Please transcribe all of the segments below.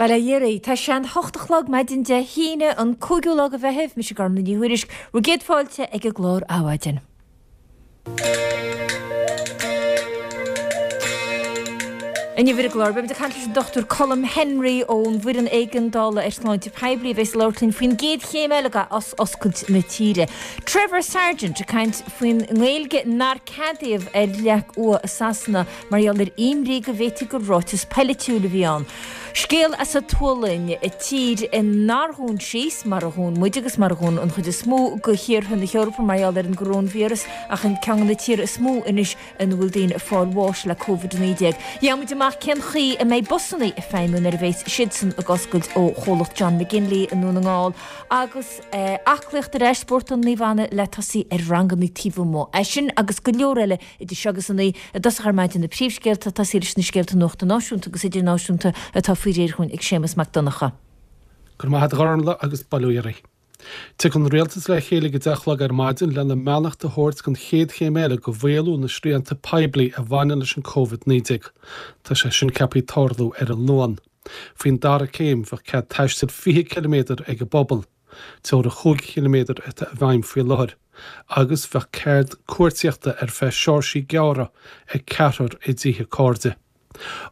Bail ó Dhia oraibh. Tá sé an hocht a chlog maidin Dé hAoine, an cúigiú lá de Mheitheamh. Mise Gormlaith Ní Thuairisg, bhur gcéad fáilte ag an gclár Adhmhaidin. Inniu ar an gclár, beimid ag caint leis an Dr Colm Henry ón bhFoireann Éigeandála ar Shláinte Poiblí a bheas ag labhairt linn faoin gcéad chéim eile d'athoscailt na tíre. Trevor Sargent ag caint faoin nGaeilge nár ceadaíodh ar leac umha i Sasana mar gheall ar imní go bhféadfaí gur ráiteas poilitiúil a bhí ann. Scéal as an tSualainn, tír nár dhún síos mar a dhún muid agus mar a dhún an chuid is mó de thíortha na hEorpa mar gheall ar an gcoróinvíreas ach an ceann de na tíortha is mó anois ina bhfuil daoine ag fáil bháis le Covid-19. Gheobhaidh muid amach cén chaoi a mbeidh busanna ag feidhmiú nuair a bheas siadsan ag oscailt ó chomhlacht John McGinley i nDún na nGall agus aclaíocht ar ais, Spórtlann Naomh Anna le tosaí ar ranganna taobh amuigh. É sin agus go leor eile Idir seo agus a naoi, i dtosach ar maidin na príomhscéalta, tosaí leis na scéalta nuachta náisiúnta agus idirnáisiúnta atá faoi réir chugainn ag Séamus Mac Donncha. Go raibh maith agat a Ghormfhlaith agus bail ó Dhia oraibh. Tiocfaidh an Rialtas le chéile ag a deich a chlog ar maidin lena mbeannacht a thabhairt don chéad chéim eile de mhaolú na srianta poiblí a bhaineann leis an Covid-19. Tá sé sin ceaptha tarlú ar an Luan. Faoin dara céim, bheadh cead taistil 20 ciliméadar ag an bpobal. Teorainn chúig chiliméadar atá i bhfeidhm faoi láthair, agus bheadh cead cuartaíochta ar feadh seoirsí gearra ag ceathrar i dtithe cairde.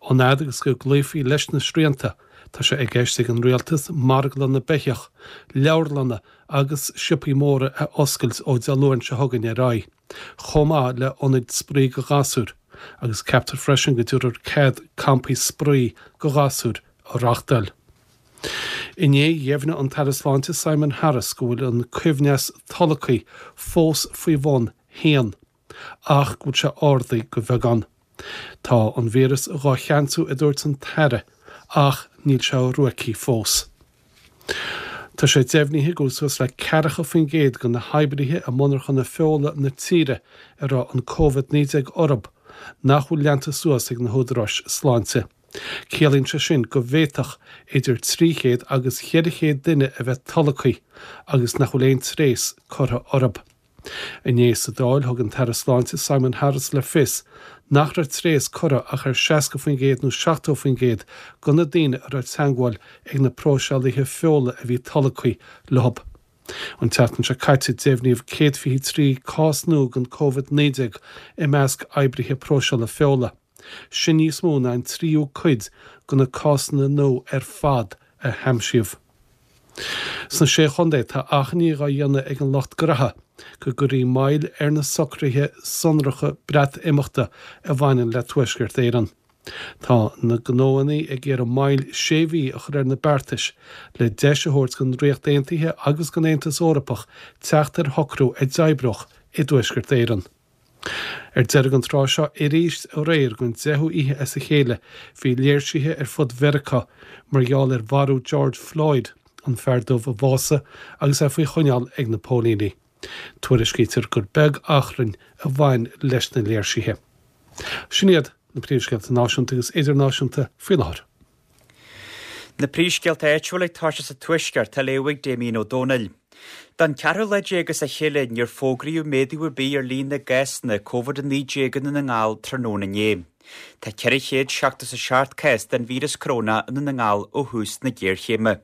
An fhad agus go gcloífí leis na srianta, tá sé i gceist ag an rialtas marglanna beithíoch, leabharlanna agus siopaí móra a oscailt ó Dé Luain seo chugainn ar aghaidh, chomh maith le hionaid spraoi do ghasúir, agus ceaptar freisin go dtabharfar cead campaí spraoi do ghasúir a reáchtáil. Inné, dheimhnigh an tAire Sláinte Simon Harris go bhfuil an coibhneas tolgtha fós faoi bhun haon, ach go bhfuil sé ardaithe de bheagán. Tá an víreas dhá cheansú, a dúirt an tAire, ach níl sé ruaigthe fós. Tá sé deimhnithe go bhfuil suas le 40% de na hoibrithe i monarchana feola na tíre a raibh an Covid-19 orthu nach bhfuil leanta suas ag na húdaráis sláinte. Ciallaíonn sé sin go bhféadfadh idir 300 agus 400 duine a bheith tolgtha agus nach bhfuil aon tréas curtha orthu. Inné sa Dáil thug an tAire Sláinte Simon Harris le fios nach raibh tréas curtha ach ar 60% nó 70% de na daoine a raibh teagmháil ag na próiseálaithe feola a bhí tolgtha leo. An tseachtain seo caite deimhníodh 123 cás nua den Covid-19 i measc oibrithe próiseála feola. Sin níos mó ná an tríú cuid de na cásanna nua ar fad a haimsíodh. Sna Sé Chontae tá achainí dhá dhéanamh ag an lucht graithe go gcuirfí moill ar na socruithe sonracha Breatimeachta a bhaineann le Tuaisceart Éireann. Tá na gnóanna ag iarraidh moill sé mhí a chur ar na beartais le deis a thabhairt don Ríocht Aontaithe agus don Aontas Eorpach teacht ar shocrú a d'oibreodh i dTuaisceart Éireann. Ar deireadh an tráth seo arís aréir don deichiú oíche as a chéile bhí léirsithe ar fud Mheiriceá mar gheall ar mharú George Floyd, an fear dubh a bhásaigh agus é faoi choinneáil ag na póilíní. Tuairiscítear gur beag achrainn a bhain leis na léirsithe. Sin iad na príomhscéalta náisiúnta agus idirnáisiúnta faoi láthair. Na príomhscéalta áitiúla ag toiseacht sa Tuaisceart á léamh ag Damien Ó Dónaill. Don cheathrú lá déag as a chéile níor fógraíodh méadú ar bith ar líon na gcásanna Covid-19 i nDún na nGall tráthnóna inné. Tá 477 cás den víreas corónach i nDún na nGall ó thús na géarchéime.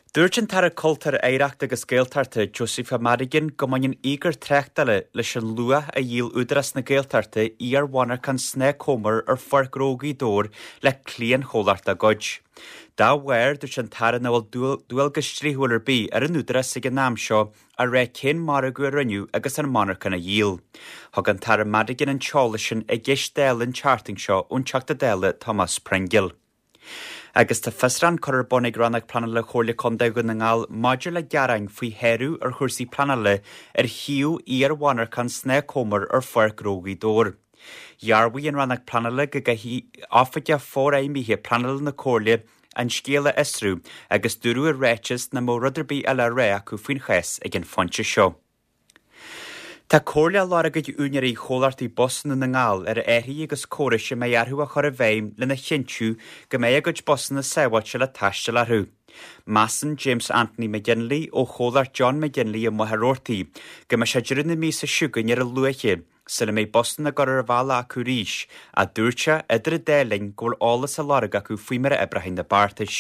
Dúirt an tAire Cultúir, Oidhreachta agus Gaeltachta, Josepha Madigan go mbaineann íogair tráchtála leis an luach a dhíol Údarás na Gaeltachta iar-mhonarchan Snáth Comer ar Pháirc Ghnó Ghaoth Dobhair le cliantchomhlacht dá gcuid. Dá bharr, dúirt an tAire nach bhfuil dualgas dlíthiúil ar bith ar an Údarás ag an am seo a rá cén margadh a rinneadh agus an monarchan a dhíol. Thug an tAire Madigan an t-eolas sin i gceist Dála an tseachtain seo ón Teachta Dála Tomás Pringle. Agus tá fiosrúchán curtha ar bun ag Rannóg Pleanála Chomhairle Contae Dhún na nGall maidir le gearáin faoi shárú ar chúrsaí pleanála ar shuíomh iar-mhonarchan Snáth Comer ar Pháirc Ghnó Ghaoth Dobhair. Dhearbhaigh an Rannóg Pleanála go gcaithfidh Oifigeach Forfheidhmithe Pleanála na Comhairle an scéal a fhiosrú agus dúradh i ráiteas nach mbeadh rud ar bith eile á rá acu faoin chás ag an phointe seo. Tá comhairle á lorg ag úinéirí chomhlachtaí bus i nDún na nGall ar athruithe agus córais a mbeidh orthu a chur i bhfeidhm lena chinntiú go mbeidh a gcuid busanna sábháilte le taisteal orthu. Measann James Anthony McGinley ó chomhlacht John McGinley i Machaire Rabhartaigh go mbeidh sé deireadh na míosa seo chugainn ar a luaithe sula mbeidh busanna ag gabháil ar an bhealach acu arís, ach dúirt sé idir an dá linn go bhfuil eolas á lorg acu faoi mar a oibreoidh na beartais.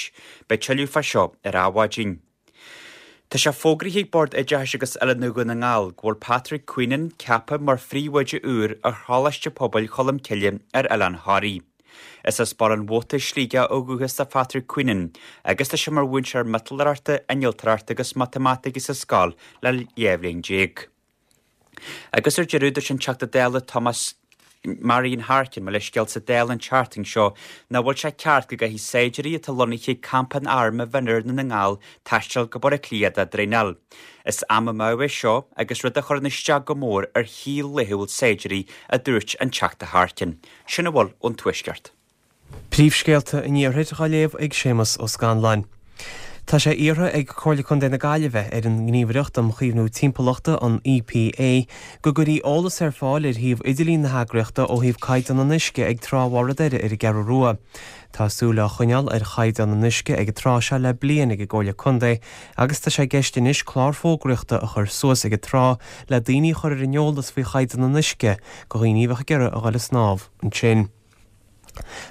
Beidh tuilleadh fá seo ar Adhmhaidin. Tá sé fógraithe ag Bord Oideachais agus Oiliúna Dhún na nGall go bhfuil Patrick Queenan ceaptha mar phríomhoide úr ar Choláiste Pobail Cholmcille ar Oileán Thoraí. Is as Baile an Mhóta, Sligeach ó dhúchas do Phatrick Queenan agus tá sé mar mhúinteoir miotalóireachta, innealtóireachta agus matamaitice sa scoil le 12 bhliain. Agus ar deireadh, dúirt an Teachta Dála Thomas Marian Harkin, mo leithscéal, sa Dáil an tseachtain seo nach bhfuil sé ceart go gcaithfidh saighdiúirí atá lonnaithe ag campa an airm i bhFionnúr i nDún na nGall taisteal go Baile Átha Cliath dá dtraenáil. Is am amú é seo agus rud a chuireann isteach go mór ar shaol laethúil saighdiúirí, a dúirt an Teachta Harkin. Sin a bhfuil ón Tuaisceart. Príomhscéalta an Iarthair á léamh ag Séamus Ó Scanláin. Tá sé iarrtha ag Comhairle Contae na Gaillimhe ar an nGníomhaireacht um Chaomhnú Timpeallachta, an EPA, go gcuirfí eolas ar fáil ar shuíomh idirlín na heagraíochta ó thaobh caighdeán an uisce ag Trá Bharr an Doire ar an gCeathrú Rua. Tá súil á choinneáil ar chaighdeán an uisce ag an trá seo le bliain ag an gComhairle Contae agus tá sé i gceist anois clár fógraíochta a chur suas ag an trá le daoine a chur ar an eolas faoi chaighdeán an uisce go dhaoine a bheadh ag iarraidh a dhul ag snámh ansin.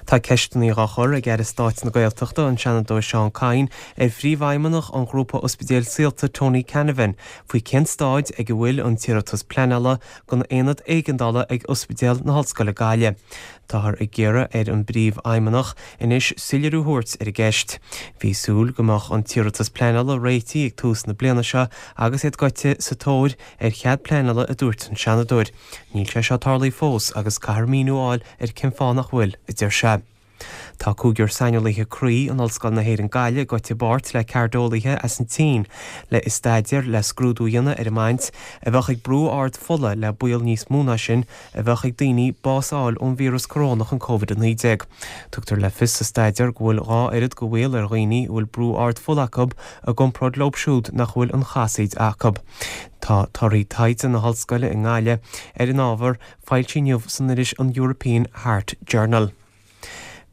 Tá ceisteanna á chur ag Aire Stáit na Gaeltachta, an Seanadóir Seán Kyne, ar Phríomhfheidhmeannach an ghrúpa Ospidéil Saolta, Tony Canavan, faoi cén staid ag a bhfuil an t-iarratas pleanála don aonad éigeandála ag Ospidéal na hOllscoile Gaillimh. Táthar ag iarraidh ar an bPríomhfheidhmeannach anois soiléiriú a thabhairt ar an gceist. Bhí súil go mbeadh an t-iarratas pleanála réitithe ag tús na bliana seo agus iad gaibhte sa tóir ar chead pleanála a dúirt an Seanadóir. Níl sé seo tarlaithe fós agus caithfear míniú a fháil ar cén fáth nach bhfuil, a deir sé. Tá cúigear saineolaithe croí in Ollscoil na hÉireann Gaillimh gaibhte i bpáirt le cairdeolaithe as an tSín le i staidéar le scrúdú a dhéanamh ar an mbaint a bheadh ag brú ard fola le baol níos mó ná sin a bheadh ag daoine bás a fháil ón víreas corónach an Covid-19. Tugtar le fios sa staidéar go bhfuil 2 oiread de bhaol ar dhaoine a bhfuil brú ard fola acu i gcomparáid leo siúd nach bhfuil an chasaoid acu. Tá torthaí taighde na hOllscoile i nGaillimh ar an ábhar foilsithe inniu san iris an European Heart Journal.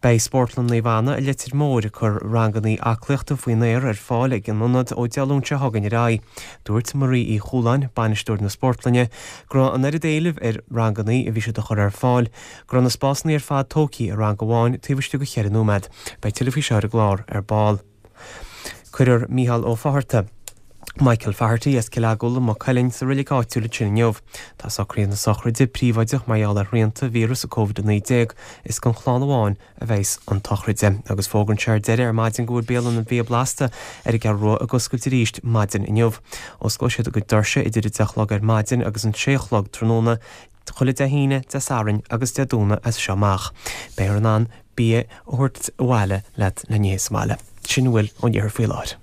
Beidh Spórtlann Naomh Anna i Leitir Móir ag cur rangannaí aclaíochta faoin aer ar fáil ag an ionad ó Dé Luain seo chugainn ar aghaidh. Dúirt Marie Uí Chualáin, bainisteoir na spórtlainne, go raibh an oiread éilimh ar rangannaí a bhí siad a chur ar fáil go raibh na spásanna ar fad tógtha i rang amháin taobh istigh de cheithre nóiméad. Beidh tuilleadh faoi seo ar an gclár ar ball. Cuirfear Mícheál Ó Fátharta, Michael Faherty, as Cill Eagúla, Maigh Cuilinn, sa reilig áitiúil ansin inniu. Tá socruithe na sochraide príobháideach mar gheall ar shrianta víreas Covid-19. Is don chlann amháin a bheas an tsochraid. Agus fógraíonn sé ar deireadh ar maidin go bhfuil bialann an Bhia Blasta ar an gCeathrú Rua ag oscailt arís maidin inniu. Osclóidh siad a gcuid doirse idir 10 a chlog ar maidin agus an 6 a chlog tráthnóna chuile Dé hAoine, Dé Sathairn agus Dé Domhnaigh as seo amach. Beifear in ann bia a thabhairt abhaile leat le n-ithe sa mbaile. Sin a bhfuil ón iarthar faoi láthair.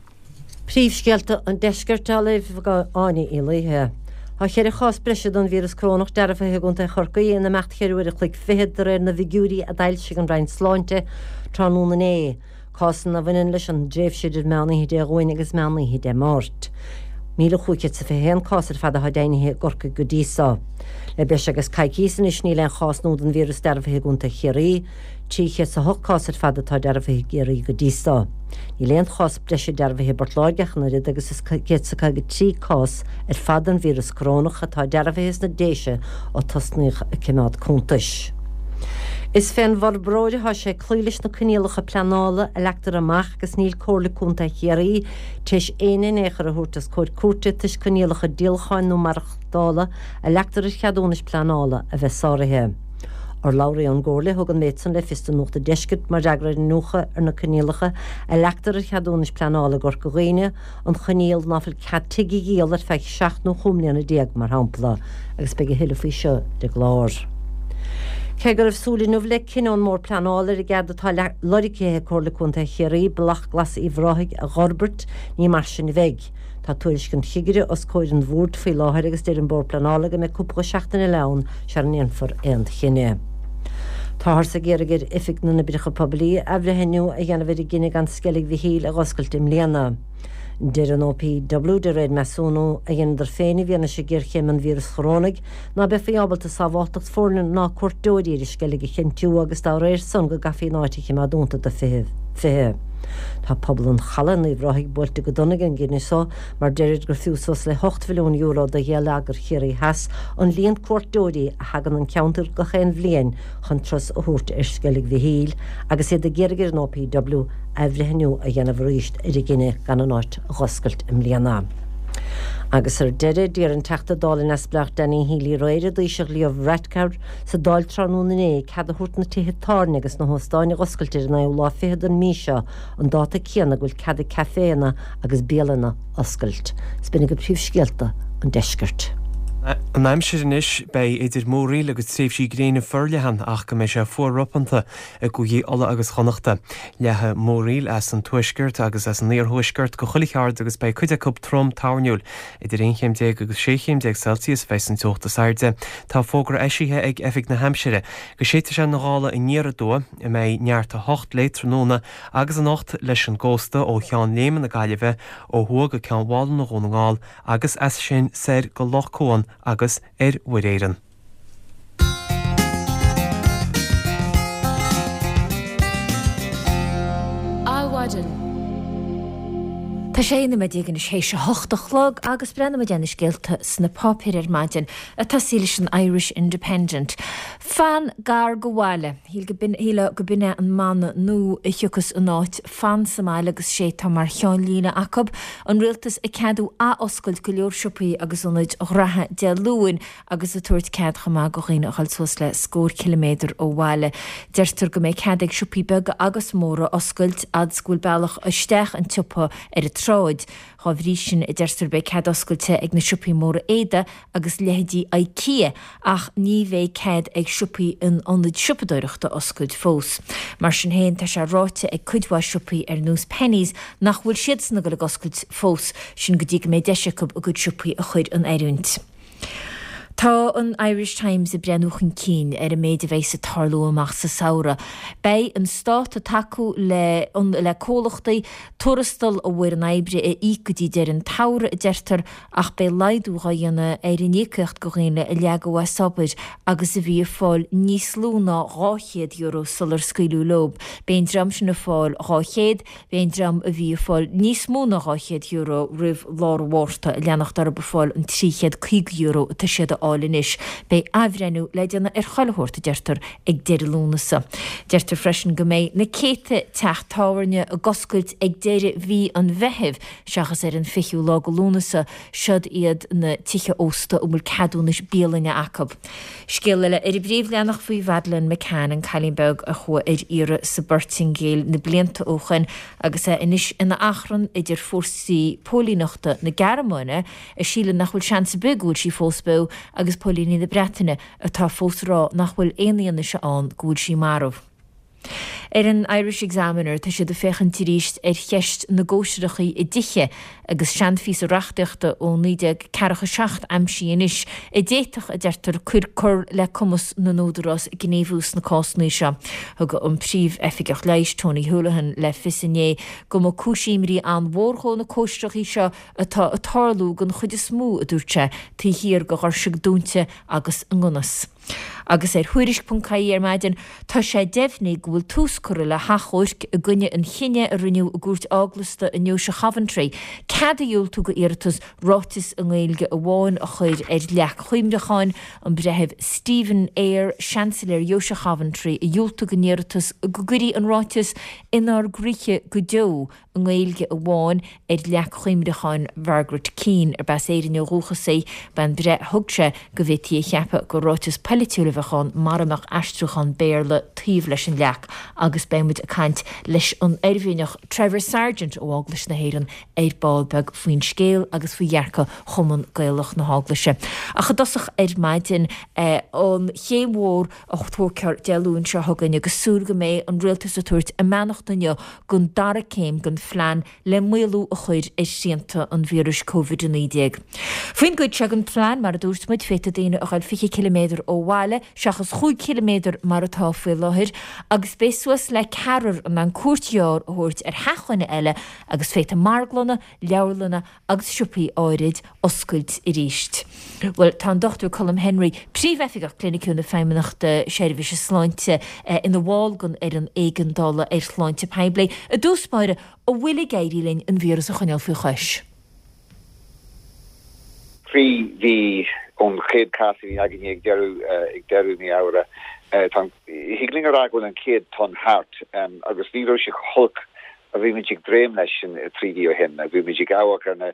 Príomhscéalta an Deiscirt á léamh ag Áine Uí Laoithe. Tá cheithre chás breise den víreas corónach dearbhaithe i gContae Chorcaí in imeacht cheithre uair a chloig fichead de réir na bhfigiúirí a d'fhoilsigh an Roinn Sláinte tráthnóna inné. Cásanna a bhaineann leis an dtréimhse idir meán oíche Dé Luain agus meán oíche Dé Máirt. 1,521 cás ar fad atá deimhnithe i gCorcaigh go dtí seo. Le breis agus coicíos anois níl aon chás nua den víreas dearbhaithe i gContae Chiarraí. 308 cás ar fad atá dearbhaithe i gCiarraí go dtí seo. Níl aon chás breise dearbhaithe i bPort Láirge ach an oiread agus is 153 cás ar fad den víreas corónach atá dearbhaithe sna Déise ó tosnaíodh ag coimeád cuntais. Is fén bhforbróir atá sé cloí leis na coinníollacha pleanála a leagtar amach agus níl Comhairle Contae Chiarraí tar éis éinne in aon chor a thabhairt os comhair cúirte toisc coinníollacha díolacháin nó maireachtála a leagtar ar cheadúnais pleanála a bheith sáraithe. Urlabhraí ón gComhairle a thug an méid san le fios do Nuacht an Deiscirt mar fhreagra ar iniúchadh ar na coinníollacha a leagtar ar cheadúnais pleanála i gCorca Dhuibhne, an choinníoll ná fuil cead tigh a dhíol ar feadh 17 nó 15 mbliana, mar shampla, agus beidh a thuilleadh faoi seo ar an gclár. Cé go raibh súil inniu le cinneadh ón mBord Pleanála ar an gcead atá lorgtha ag Comhairle Contae Chiarraí Bealach Glas Uíbh Ráthaigh a dh'fhorbairt, ní mar sin a bheidh. Tá tuairisc an chigire os comhair an Bhoird faoi láthair agus deir an Bord Pleanála go mbeidh cúpla seachtain eile ann sara ndéanfar aon chinneadh. Táthar ag iarraidh ar Oifig na nOibreacha Poiblí athbhreithniú a dhéanamh ar a gcinneadh gan Sceilg Mhichíl a dh'oscailt i mbliana. Deir an OPW, de réir measúnú a dheineadar féin i bhfianaise géarchéim an víreas chorónaigh, ná beifí ábalta sábháltacht foirne ná cuairteoirí ar an Sceilg a chinntiú agus dá réir san go gcaithfí an áit a chimeád dúnta do 20. 20. Tá pobal an Chalaidh in Uíbh Ráthaigh buailte go dona ag an gcinneadh so mar deirid gur fiú suas le hocht mhilliún euro do gheilleagar Chiarraí Theas an líon cuairteoirí a thagann 'on cheantar gach aon bhliain chun turas a thabhairt ar Sceilg Mhichíl agus iad ag iarraidh ar an OPW athbhreithniú a dhéanamh arís ar a gcinneadh gan an áit a dh'oscailt i mbliana. Agus ar deireadh, d'iarr an Teachta Dála neamhspleách Danny Healy-Rae ar an dTaoiseach Leo Varadkar sa Dáil tráthnóna inné cead a thabhairt na tithe tábhairne agus na hóstáin a dh'oscailt ar an naoú lá fichead den mhí seo, an dáta céanna go bhfuil cead ag caiféanna agus bialanna oscailt. Is b'in agaibh príomhscéalta an deiscirt. An aimsir anois, beidh idir múraíl agus tréimhsí gréine forleathan ach go mbeidh sé fuar ropanta i gcúigí Uladh agus Chonnachta. Leathfaidh múraíl as an tuaisceart agus as an iarthuaisceart go chuile cheard agus beidh cuid acu trom toirniúil. Idir 11 chéim agus 16 chéim Celsius a bheidh an teocht is airde. Tá fógra eisithe ag Oifig na hAimsire go séidfidh sé na gála aniar aduaidh, a mbeidh neart 8 léi tráthnóna agus anocht leis an gcósta ó Cheann Léime na Gaillimhe ó thuaidh go Ceann Mhálanna Dhún na nGall agus as sin soir go Loch Cuan agus ar Mhuir Éireann. Adhmhaidin. Tá sé 11 nóiméad anois théis a hocht a chlog agus breathnóidh muid ar na scéalta sna páipéir ar maidin. Ag tosaí leis an Irish Independent. Fan gar go bhaile. Shílfeá go b'in é an mana nua a thiocfas in áit 'fan sa mbaile' agus sé atá mar cheannlíne acu, an rialtas ag ceadú ath-oscailt go leor siopaí agus ionaid ghraithe Dé Luain agus ag tabhairt cead chomh maith go dhaoine a dhul suas le scór ciliméadar ó bhaile. Deirtear go mbeidh cead ag siopaí beaga agus móra oscailt fhad is go bhfuil bealach isteach an tsiopa ar an tsráid. Dhá bhrí sin, a deirtear, beidh cead oscailte ag na siopaí móra éadaigh agus leithéidí Ikea ach ní bheidh cead ag siopaí in ionaid siopadóireachta oscailt fós. Mar sin féin, tá sé ráite ag cuid mhaith siopaí ar nós Penneys nach bhfuil siadsan ag dul ag oscailt fós, sin go dtí go mbeidh deis acu a gcuid siopaí a chur in oiriúint. Tá an Irish Times ag breathnú chun cinn ar an méid a bheidhs ag tarlú amach sa samhradh. Beidh an stát ag tacú le le comhlachtaí tuarastal a bhfoireann oibre a íoc go dtí deireadh an tsamhraidh, a deirtear, ach beidh laghdú dhá dhéanamh ar an íocaíocht go dhaoine a leagadh as obair agus a bhí ag fáil níos lú ná €200 sular scaoileadh leo. Beidh an dream sin ag fáil 200, Beidh an dream a bhí ag fáil níos mó ná €200 roimh lár an Mhárta ag leanacht orthu ag fáil an €350 atá siad a fháil anois. Beidh athbhreithniú le déanamh ar chuile shórt, a deirtear, ag deireadh Lúnasa. Deirtear freisin go mbeidh na céadta teach tábhairne ag oscailt ag deireadh mhí an Mheithimh seachas ar an 20ú lá de Lúnasa. Siod iad na tithe ósta a bhfuil ceadúnais bialainne acu. Scéal eile ar an bpríomhleathanach faoi Mhadeleine McCann, an cailín beag a chuaigh ar iarraidh sa bPortaingéil na blianta ó shoin agus é anois ina achrann idir fórsaí póilíneachta na Gearmáine, a síleann nach bhfuil seans ar bith go bhfuil sí fós beo, agus póilíní na Breataine, atá fós ag rá nach bhfuil aon fhianaise ann go bhfuil sí marbh. Ar an Irish Examiner, tá siad ag féachaint arís ar cheist na gcóisireachaí i dtithe agus seanphíosa reachtaíochta ó 1947 aimsithe anois a d'fhéadfadh, a deirtear, cur cur le cumas na n-údarás gníomhú sna cásanna seo. Thug an Príomh-Oifigeach Leighis, Tony Holohan, le fios inné go mba cúis imní an-mhór dhó na cóisireachaí seo atá ag tarlú den chuid is mó, a dúirt sé, taobh thiar de dhoirse dúnta agus i ngan fhios. Agus ar Thuairisc.ie ar maidin, tá sé deimhnithe go bhfuil tús curtha le hachomhairc i gcoinne an chinnidh a rinneadh i gcúirt eaglasta i nDeoise Choventry cead a dhiúltú go iarratas ráiteas i nGaeilge amháin a chur ar leac chuimhneacháin. An Breitheamh Stephen Eyre, Seansailéir Dheoise Choventry, a dhiúltaigh an iarratas go gcuirfí an ráiteas 'Inár gcroíthe go deo' i nGaeilge amháin ar leac chuimhneacháin Mhargaret Keane, arb as Éirinn ó dhúchas í. B'é an breith a thug sé go bhféadfaí a cheapadh gur ráiteas polaitiúil a bheadh ann mara mbeadh aistriúchán Béarla taobh leis an leac agus beidh muid ag caint leis an Oirmhinneach Trevor Sargent ó Eaglais na hÉireann ar ball beag faoin scéal agus faoi dhearcadh Chumann Gaelach na hEaglaise. Ach i dtosach ar maidin, an chéim mhór a tógfar Dé Luain seo chugainn agus súil go mbeidh an rialtas ag tabhairt a mbeannacht inniu don dara céim den phlean le maolú a chur ar shrianta an víris Covid-19. Faoin gcuid seo den phlean, mar a dúirt muid, féadfaidh daoine a ghoil 20 ciliméadar ó. bhaile, seachas chúig chiliméadar mar atá faoi láthair, agus beidh suas le ceathrar in ann cuairt ghearr a thabhairt ar theach dhuine eile agus féadfaidh marglanna, leabharlanna agus siopaí áirid oscailt arís. Bhuel, tá an Dr Colm Henry, Príomhoifigeach Cliniciúil na Feidhmeannachta Seirbhíse Sláinte, ina bhall den Fhoireann Éigeandála ar Shláinte Poiblí. I dtús báire, an bhfuil ag éirí linn an víreas a choinneáil faoi chois? 3 mhí ón chéad chás a bhí againne ag deireadh ag deireadh mí Fheabhra. Tá an, thig linn a rá go bhfuil an chéad tonn thart agus ní raibh sé chomh holc a bhí muid ag dréim leis sin 3 mhí ó shin. Bhí muid ag amharc ar na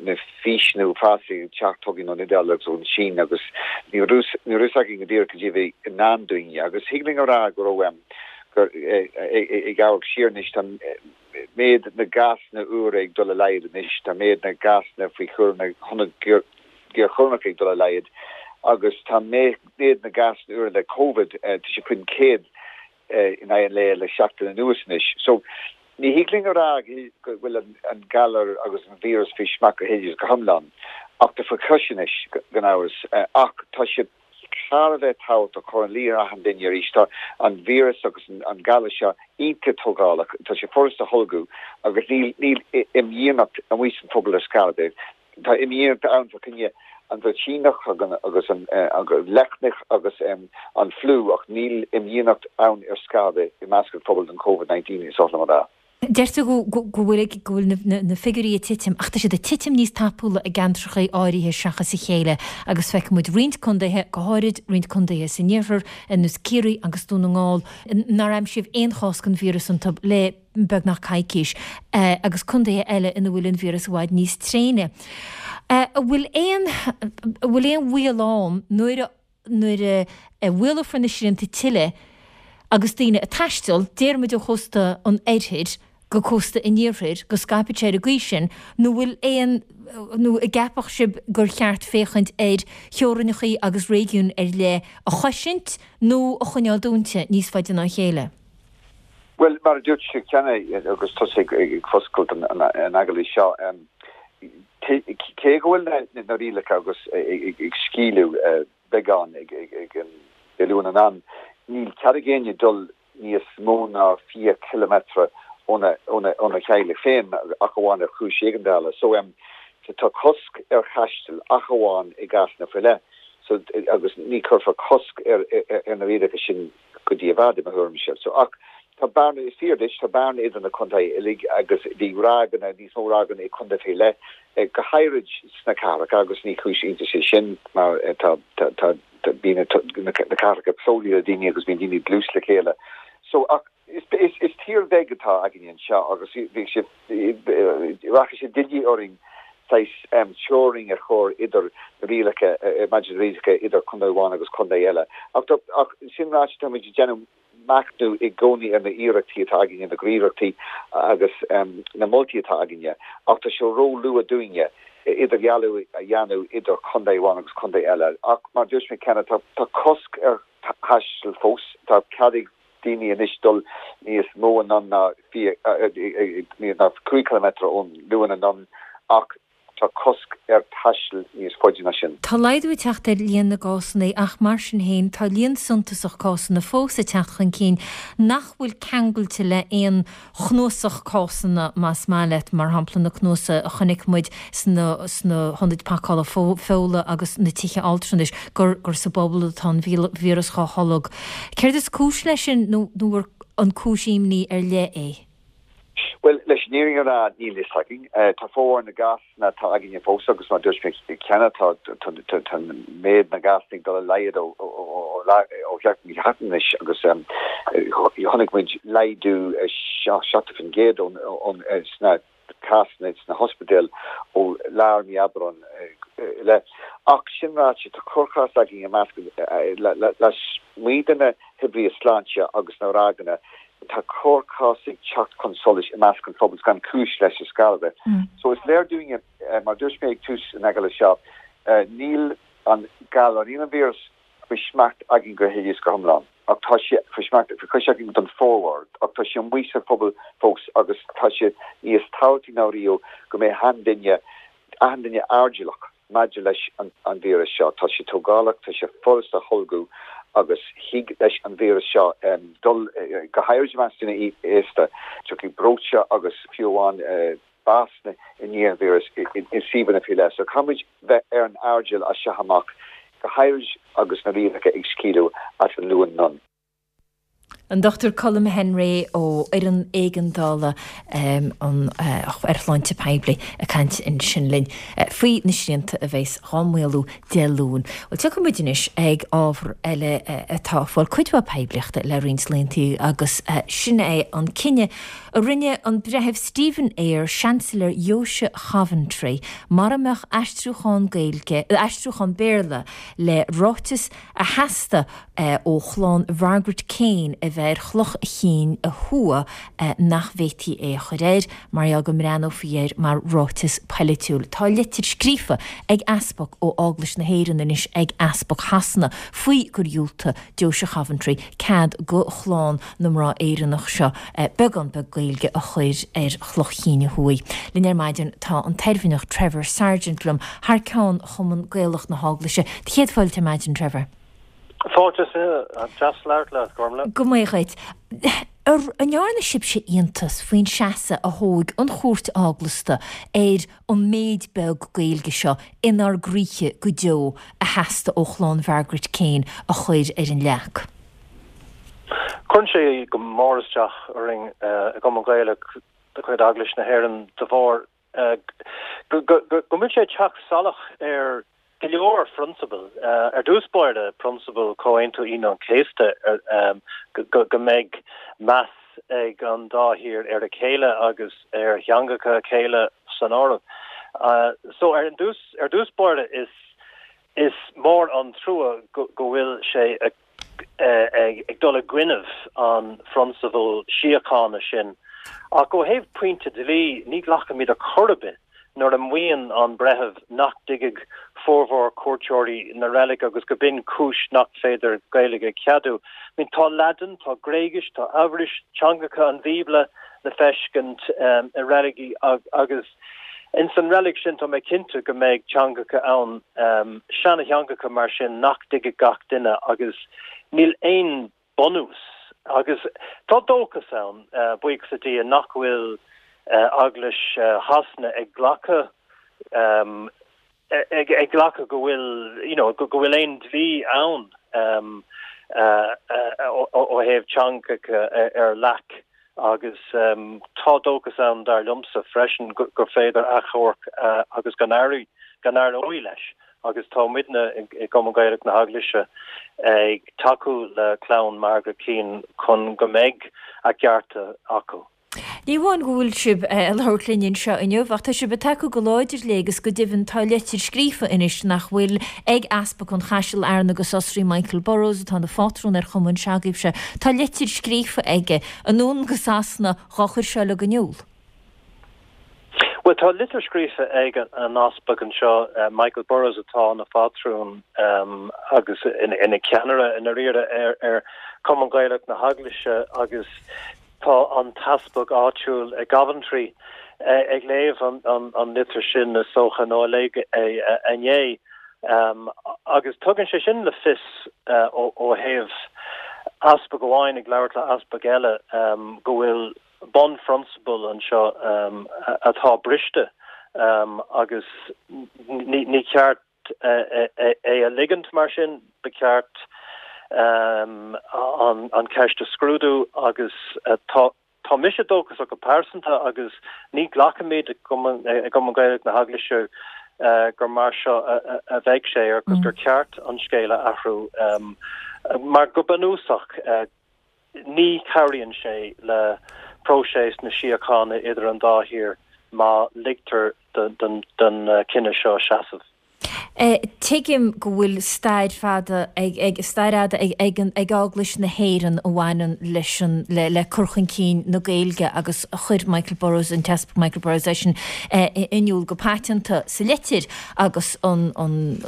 na físeanna uafásacha ag teacht chugainn ón Iodáil agus ón Sín agus ní raibh ní raibh fhios againn go díreach cad é a bhí i ndán dúinne agus thig linn a rá go raibh gur ag amharc siar anois tá méid na gcásanna úra ag dul i laghad anois, tá méid na gcásanna faoi chúram na hionad géarchúramach ag dul i laghad agus tá méid na gcásanna úra le Covid, tá sé faoin 100 in aghaidh an lae le seachtain anuas anois. So, ní thig linn a rá go bhfuil an galar agus an víreas faoi smacht go huile is go hiomlán, ach tá faoi chois anois, gan amhras, ach tá sé. thar a bheith tábhachtach cur ina luí ar achan duine arís. Tá an víreas agus an galar seo iontach tógálach, tá sé furast a tholgadh agus níl níl imdhíonacht amuigh san phobal ar scor ar bith. Tá imdhíonacht ann fá choinne an bhruitíneach agus an leicneach agus an fliú ach níl imdhíonacht ann ar scor ar bith i measc an phobail don Covid-19 is oth liom a rá. Deir tú go bhfuil go bhfuil na figiúirí ag titim, ach tá siad ag titim níos tapúla i gceantracha áirithe seachas a chéile agus feicfidh muid roinnt contaetha, go háirid roinnt contaetha san iarthar, ar nós Ciarraí agus Dún na nGall, nár aimsíodh aon chás den víreas iontu le beagnach coicís, agus contaetha eile ina bhfuil an víreas i bhfad níos tréine. An bhfuil aon, an bhfuil aon bhaol ann nuair a. nuair a mhaolófar na srianta tuilleadh agus daoine ag taisteal, déarfaimid ó chósta an oirthir go cósta an iarthair, go scaipfidh sé ar an gcaoi sin, nó bhfuil aon, nó an gceapfadh sibh gur cheart féachaint ar theorainneacha agus réigiúin ar leith a chosaint nó a choinneáil dúnta níos faide ná a chéile? Bhuel, mar a dúirt tú cheana agus tusa ag foscailt an agallaimh seo, cé go bhfuil na rialacha agus ag scaoileadh beagán ag an Dé Luain anonn, níl cead ag éinne dul níos mó ná 20 ciliméadar óna theaghlach féin ach amháin ar chúis éigeandála. So, tá cosc ar thaisteal ach amháin i gcásanna faoi leith. So, agus ní chuirfear cosc ar na rialacha sin go dtí i bhfad, i mo thuairimse. So, ach tá bearna, is fíor duit, tá bearna idir na contaetha uilig agus bhí ráigeanna, níos mó ráigeanna i contae faoi leith, go háirid sna cathracha agus ní cúis iontais é sin mar tá, tá, tá, bíonn na cathracha plódaithe le daoine agus bíonn daoine dlús le chéile. So, ach is, is, is tír bheag atá againne anseo agus bhí sé, Rachaidh sé doiligh orainn saghas teorainn a chur idir na rialacha, maidir le rialacha idir contae amháin agus contae eile. Ach sin ráite, táimid ag déanamh machnamh i gcónaí ar na hiarrachtaí atá againne, na gníomhaíochtaí agus na moltaí atá againne. Ach tá sé ró-luath dúinne idirdhealú a dhéanamh idir contae amháin agus contae eile. Ach mar a dúirt mé cheana, tá cosc ar thaisteal fós, tá cead ag. daoine anois dul níos mó anonn ná ná 5 ciliméadar ón Luan anonn ach tá cosc ar thaisteal níos faide ná sin. Tá laghdú ag teacht ar líon na gcásanna ach mar sin féin tá líon suntasach cásanna fós ag teacht chun cinn nach bhfuil ceangailte le haon chnuasach cásanna más maith leat, mar shampla na cnuasaigh a chonaic muid sna sna hionaid pacála feola agus na tithe altranais, gur gur sa bpobal atá an víreas dhá tholg. Céard is cúis leis sin nó nó an cúis imní ar leith é? Bhuel, leis an fhírinne a rá, níl fhios againn. Tá formhór na gcásanna atá againne fós agus mar a dúirt mé cheana tá méid na gcásanna ag dul i laghad ó sheachtain go seachtain anois agus chonaic muid laghdú 70% sna cásanna sna hospidéil ó lár mí Aibreáin i leith. Ach sin ráite, tá corrchás againn i measc lasmuigh de na hoibrithe sláinte agus na ráigeanna Tá corrchás ag teacht chun solais i measc an phobail gan cúis leis ar scor ar bith. So is léir dúinne, mar a dúirt mé ag tús an agallaimh seo, níl an galar, níl an víreas faoi smacht againn go huile is go hiomlán. Ach tá sé faoi smacht, faoi chois againn don formhór, ach tá sé amuigh sa phobal fós agus tá sé níos tábhachtaí ná riamh go mbeidh achan duine, achan duine airdeallach. maidir leis an víreas seo. Tá sé tógálach, tá sé furast a tholgadh agus thig leis an víreas seo dul, go háirid i measc daoine aosta, tiocfaidh breoite agus fiú amháin básanna i ndiaidh an víris i suíomhanna faoi leith. So caithfimid bheith ar an airdeall as seo amach, go háirid agus na rialacha ag scaoileadh as an Luan anonn. An Dr Colm Henry ó Fhoireann Éigeandála ar Shláinte Poiblí ag caint ansin linn faoi na srianta a bheas dhá maolú Dé Luain. Bhuel, tiocfaidh muid anois ag ábhar eile atá ag fáil cuid mhaith poiblíochta le roinnt laethanta agus sin é an cinneadh a rinne an Breitheamh Stephen Eyre, Seansailéir Dheoise Choventry, mura mbeadh aistriúchán Gaeilge, aistriúchán Béarla le ráiteas a theastaigh ó chlann Mhargaret Keane a bheith ar chloch chinn a thuaidh nach bhféadfaí é a chur air mar gheall go mbreathnófaí air mar ráiteas poilitiúil. Tá litir scríofa ag easpag ó Eaglais na hÉireann anois ag easpag Shasana faoi gur dhiúltaigh Deoise Choventry cead go chlann na mná Éireannach seo beagán beag Gaeilge a chur ar chloch chinn a thuaidh. Linn ar maidin tá an tOirmhinneach Trevor Sargent liom thar ceann Chumann Gaelach na hEaglaise. Do chéad fáilte ar maidin, Trevor. Fáilte is fiche. Deas labhairt leat, Gormlaith. Go maith dhuit. An ndearna sibhse iontas faoin seasamh a thóg an Chúirt Eaglasta ar an méid beag Gaeilge seo inár gcroíthe go deo a theastaigh ó chlann Mhargaret Keane a chur ar an leac? Cuireann sé go mór isteach orainn i gCumann Gaelach de chuid Eaglais na hÉireann de bharr go bhfuil sé ag teacht salach ar go leor phrionsabal. Ar dtús báire, prionsabal Chomhaontú Aoine an Chéasta, go mbeidh meas ag an dá thír ar a chéile agus ar theangacha a chéile san áireamh. So ar dtús báire is is mór an trua go bhfuil sé ag dul i gcoinnibh an phrionsabal síochána sin. Ach ó thaobh pointe dlí, ní ghlacaimid ar chor ar bith nuair a mhaíonn an breitheamh nach dtuigfeadh formhór cuairteoirí na reilige agus go b'in cúis nach féidir Gaeilge a cheadú. I mean, tá Laidin, tá Gréigis, tá Eabhrais, teangacha an Bhíobla le feiscint i reiligí agus Ins an reilig sin tá mé cinnte go mbeidh teangacha ann, seana-theangacha mar sin nach dtuigfidh gach duine agus níl aon bunús agus tá dóchas ann, buíochas le Dia, nach bhfuil Eaglais Shasana ag glacadh ag glacadh go bhfuil you know go bhfuil aon dlí ann ó thaobh teangacha ar leac. Agus tá dóchas ann, dar liomsa, freisin gur féidir achomharc agus go n-éireoidh leis. Agus tá muidne i gCumann Gaelach na hEaglaise ag tacú le clann Margaret Keane chun go mbeidh a gcearta acu. Ní amháin go bhfuil sibh ag labhairt linn anseo inniu, ach tá sibh ag tacú go láidir léi agus go deimhin tá leitir scríofa anois nach bhfuil ag Easpag an Chaisil, Fhearna agus Osraí, Michael Burrows, atá ina phátrún ar chumann se'agaibhse. Tá leitir scríofa aige anonn go Sasana dhá chur seo uilig in iúl. Bhuel, tá litir scríofa ag an Easpag anseo, Michael Burrows, atá ina phátrún agus ina cheannaire i ndáiríre ar Chumann Gaelach na hEaglaise agus Tá an t-easpag áitiúil i gCoventry ag léamh an litir sin, is dócha, nó a léigh é inné. Agus tugann sé sin le fios ó thaobh easpag amháin ag labhairt le easpag eile go bhfuil bunphrionsabal anseo atá briste agus ní ceart é a ligint mar sin, ba cheart an cheist a scrúdú agus tá mise dóchasach go pearsanta agus ní ghlacaimid i gCumann Gaelach na hEaglaise gur mar seo a bheidh sé agus gur ceart an scéal a athrú mar go bunúsach Ní chabhraíonn sé le próiseas na síochána idir an dá thír má ligtear don chinneadh seo seasamh. Tuigim go bhfuil stair fada ag ag stair fhada ag ag an ag Eaglais na hÉireann a bhaineann leis an le le cur chun cinn na Gaeilge agus chuir Michael Burrows, an tEaspag Michael Burrows é sin in iúl go paiteanta sa litir agus an an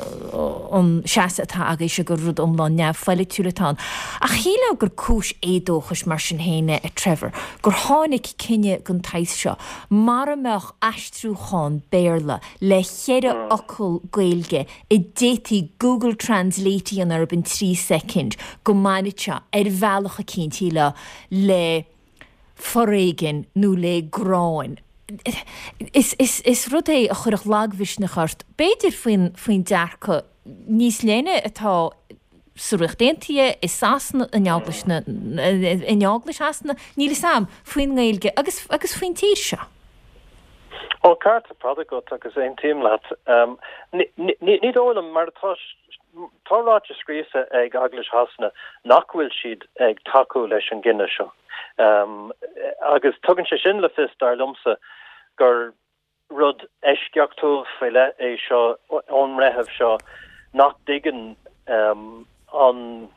an seasamh atá agaibhse gur rud iomlán neamhpholaitiúil atá ann. Ach shílfeá gur cúis éadóchais mar sin féin é, a Trevor, gur tháinig cinneadh den tsaghas seo mara mbeadh aistriúchán Béarla le cheithre fhocal Gaeilge a d'fhéadfaí Google Translate a dhéanamh orthu in 3 soicind, go mbainfeadh sé, ar bhealach eicínt, shílfeá, le foréigean nó le gráin. Is, is, is rud é a chuirfeadh lagmhisneach ort, b'fhéidir, faoin, faoin dearcadh níos leithne atá sa Ríocht Aontaithe, i Sasana, in Eaglais na, in Eaglais Shasana, níl 'fhios a'm, faoin nGaeilge agus, agus faoin tír seo. Ó, ceart ar fad agat agus aontaím leat. Ní dóigh liom, mar atá, tá ráite scríofa ag Eaglais Shasana nach bhfuil siad ag tacú leis an gcinneadh seo. Agus tugann sé sin le fios, dar liomsa, gur rud eisceachtúil faoi leith é seo ón mbreitheamh seo nach dtuigeann an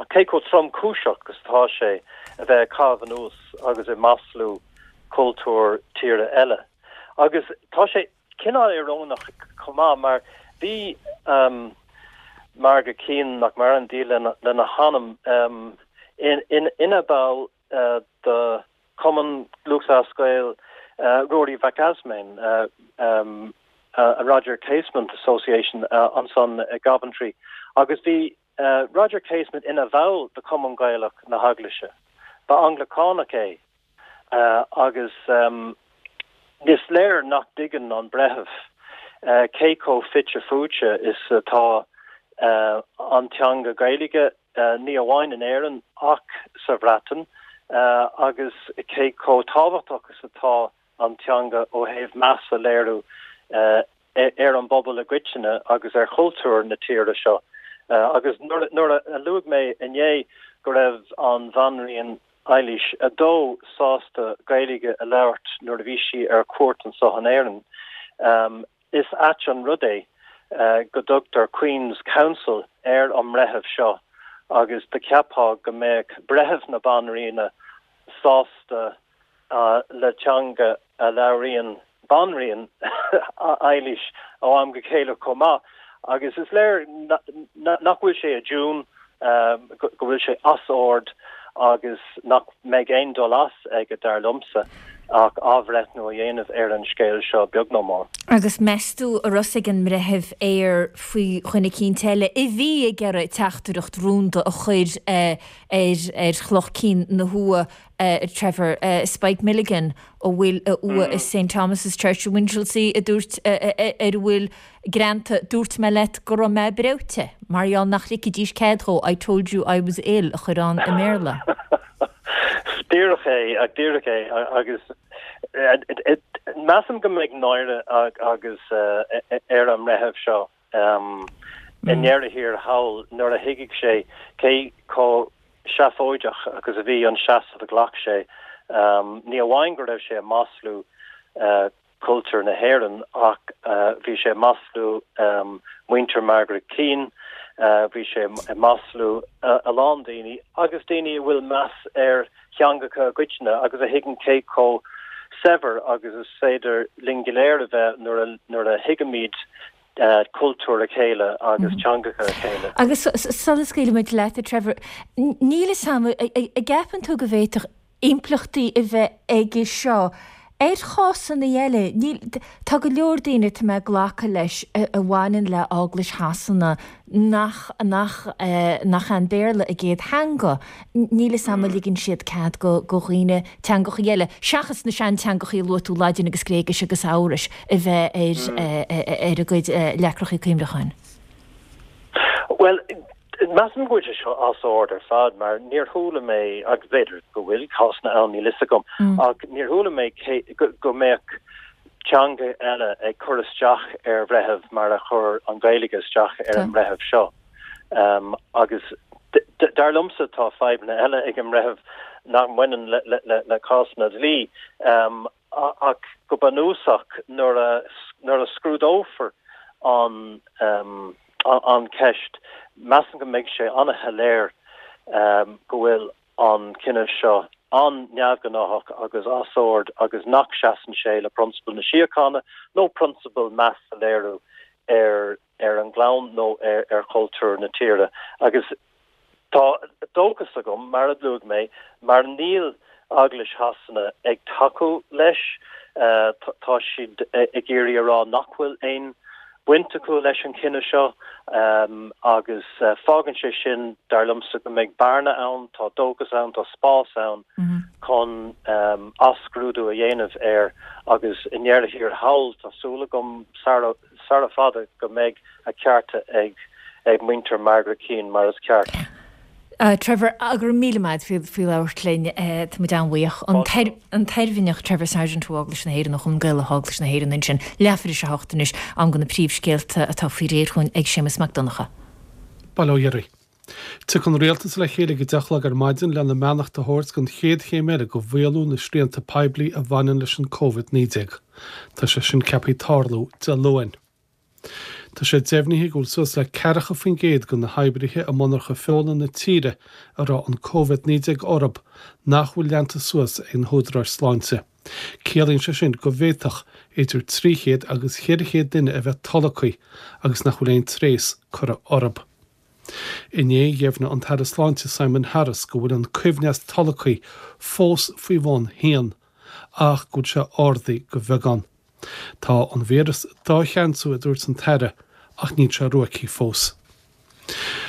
cé chomh tromchúiseach is atá sé a bheith ag caitheamh anuas agus ag maslú cultúr tíre eile. Agus tá sé cineál íorónach chomh maith mar bhí Margaret Keane, nach maireann, Dia lena hanam, ina ball de Chumann Lúthchleas Gael Ruairí Mhac Easmainn, Roger Casement Association ansan i gCoventry agus bhí Roger Casement ina bhall de Chumann Gaelach na hEaglaise. Ba Anglacánach é agus is léir nach dtuigeann an breitheamh cé chomh fite fuaite is atá an teanga Gaeilge ní amháin in Éirinn ach sa Bhreatain, agus cé chomh tábhachtach is atá an teanga ó thaobh meas a léiriú ar an bpobal i gcoitinne agus ar chultúr na tíre seo. Agus nuair a luaigh mé inné go raibh an Bhanríon Eilís a Dó sásta Gaeilge a labhairt nuair a bhí sí ar cuairt anseo in Éirinn, Is ait an rud é go dtugtar Queen's Counsel ar an mbreitheamh seo agus do cheapfá go mbeadh breitheamh na Banríona sásta le teanga a labhraíonn Banríon Eilís ó am go chéile chomh maith agus is léir nach bhfuil sé i dtiún, go bhfuil sé as ord agus nach mbeidh aon dul as aige, dar liomsa, ach athbhreithniú a dhéanamh ar an scéal seo, beag nó mór. Agus meas tú an raibh fhios ag an mBreitheamh Eyre faoi dhuine eicínt eile a bhí ag iarraidh teachtaireacht rúnda a chur ar chloch cinn na hua, Trevor, Spike Milligan, a bhfuil a uaigh i St Thomas's Church i Winchelsea, a dúirt, ar a bhfuil greanta 'Dúirt mé leat go raibh mé breoite', mar gheall nach ligfidís cead dhó 'I told you I was ill' a chur ann i mBéarla. Díreach é, díreach é agus measaim go mbeidh náire agus ar an mbreitheamh seo i ndeireadh thiar thall nuair a thuigfidh sé cé chomh seafóideach agus a bhí an seasamh a ghlac sé. Ní amháin go raibh sé ag maslú cultúr na hÉireann ach bhí sé ag maslú muintir Margaret Keane, bhí sé ag maslú a lán daoine agus daoine a bhfuil meas ar theangacha i gcoitinne agus a thuigeann cé chomh saibhir agus is féidir linn go léir a bheith nuair a thuigimid cultúr a chéile agus teangacha a chéile. Agus sula scaoilfimid leat, a Trevor, níl fhios a'm, an gceapann tú go bhféadfadh impleachtaí a bheith aige seo ar chásanna eile. Níl, tá go leor daoine, tá mé ag glacadh leis, a bhaineann le Eaglais Shasana nach, nach, nach é an Béarla a gcéad theanga. Níl fhios a'm an ligeann siad cead go, go dhaoine teangachaí eile, seachas na seanteangachaí a luaigh tú, Laidin agus Gréigis agus Eabhrais, a bheith ar, ar a gcuid leacrachaí cuimhneacháin. Bhuel, measaim go bhfuil sé seo as ord ar fad mar níor chuala mé, agus b'fhéidir go bhfuil cásanna ann, níl fhios agam, ach níor chuala mé go mbeadh teanga eile ag cur isteach ar bhreitheamh mar a chuir an Ghaeilge isteach ar an mbreitheamh seo. Agus dar liomsa tá fadhbanna eile ag an mbreitheamh nach mbaineann le cásanna dlí. Ach go bunúsach, nuair a scrúdófar. an an cheist, measaim go mbeidh sé an-shoiléir go bhfuil an cinneadh seo an-neamhghnáthach agus as ord agus nach seasann sé le prionsabail na síochána nó prionsabail meas a léiriú ar ar an gclann nó ar chultúr na tíre. Agus tá dóchas agam, mar a luaigh mé, mar níl Eaglais Shasana ag tacú leis, tá siad ag iarraidh a rá nach bhfuil aon bhaint acu leis an chinneadh seo agus fágann sé sin, dar liomsa, go mbeidh bearna ann, tá dóchas ann, tá spás ann chun athscrúdú a dhéanamh air agus i ndeireadh thiar thall, tá súil agam, sara sara fada go mbeidh a cearta ag ag muintir Margaret Keane mar is ceart. Trevor, go raibh míle maith agat faoi labhairt linn. Tá muid an-bhuíoch. An tOirmhinneach Trevor Sargent ó Eaglais na hÉireann, ó Chumann Gaelach Eaglais na hÉireann ansin. Leathuair tar éis a hocht anois, am do na príomhscéalta atá faoi réir chugainn ag Séamus Mac Donncha. Bail ó Dhia oraibh. Tiocfaidh an Rialtas le chéile ag a deich a chlog ar maidin lena mbeannacht a thabhairt don chéad chéim eile de mhaolú na srianta poiblí a bhaineann leis an Covid-19. Tá sé sin ceaptha tarlú Dé Luain. Tá sé deimhnithe go bhfuil suas le 40% de na hoibrithe i monarcha feola na tíre a raibh an Covid-19 orthu nach bhfuil leanta suas ag na húdaráis sláinte. Ciallaíonn sé sin go bhféadfadh idir 300 agus 400 duine a bheith tolgtha agus nach bhfuil aon tréas curtha orthu. Inné, dheimhnigh an tAire Sláinte Simon Harris go bhfuil an coibhneas tolgtha fós faoi bhun haon, ach go bhfuil sé ardaithe de bheagán. Tá an víreas dá cheansú, a dúirt an tAire, ach níl sé ruaigthe fós.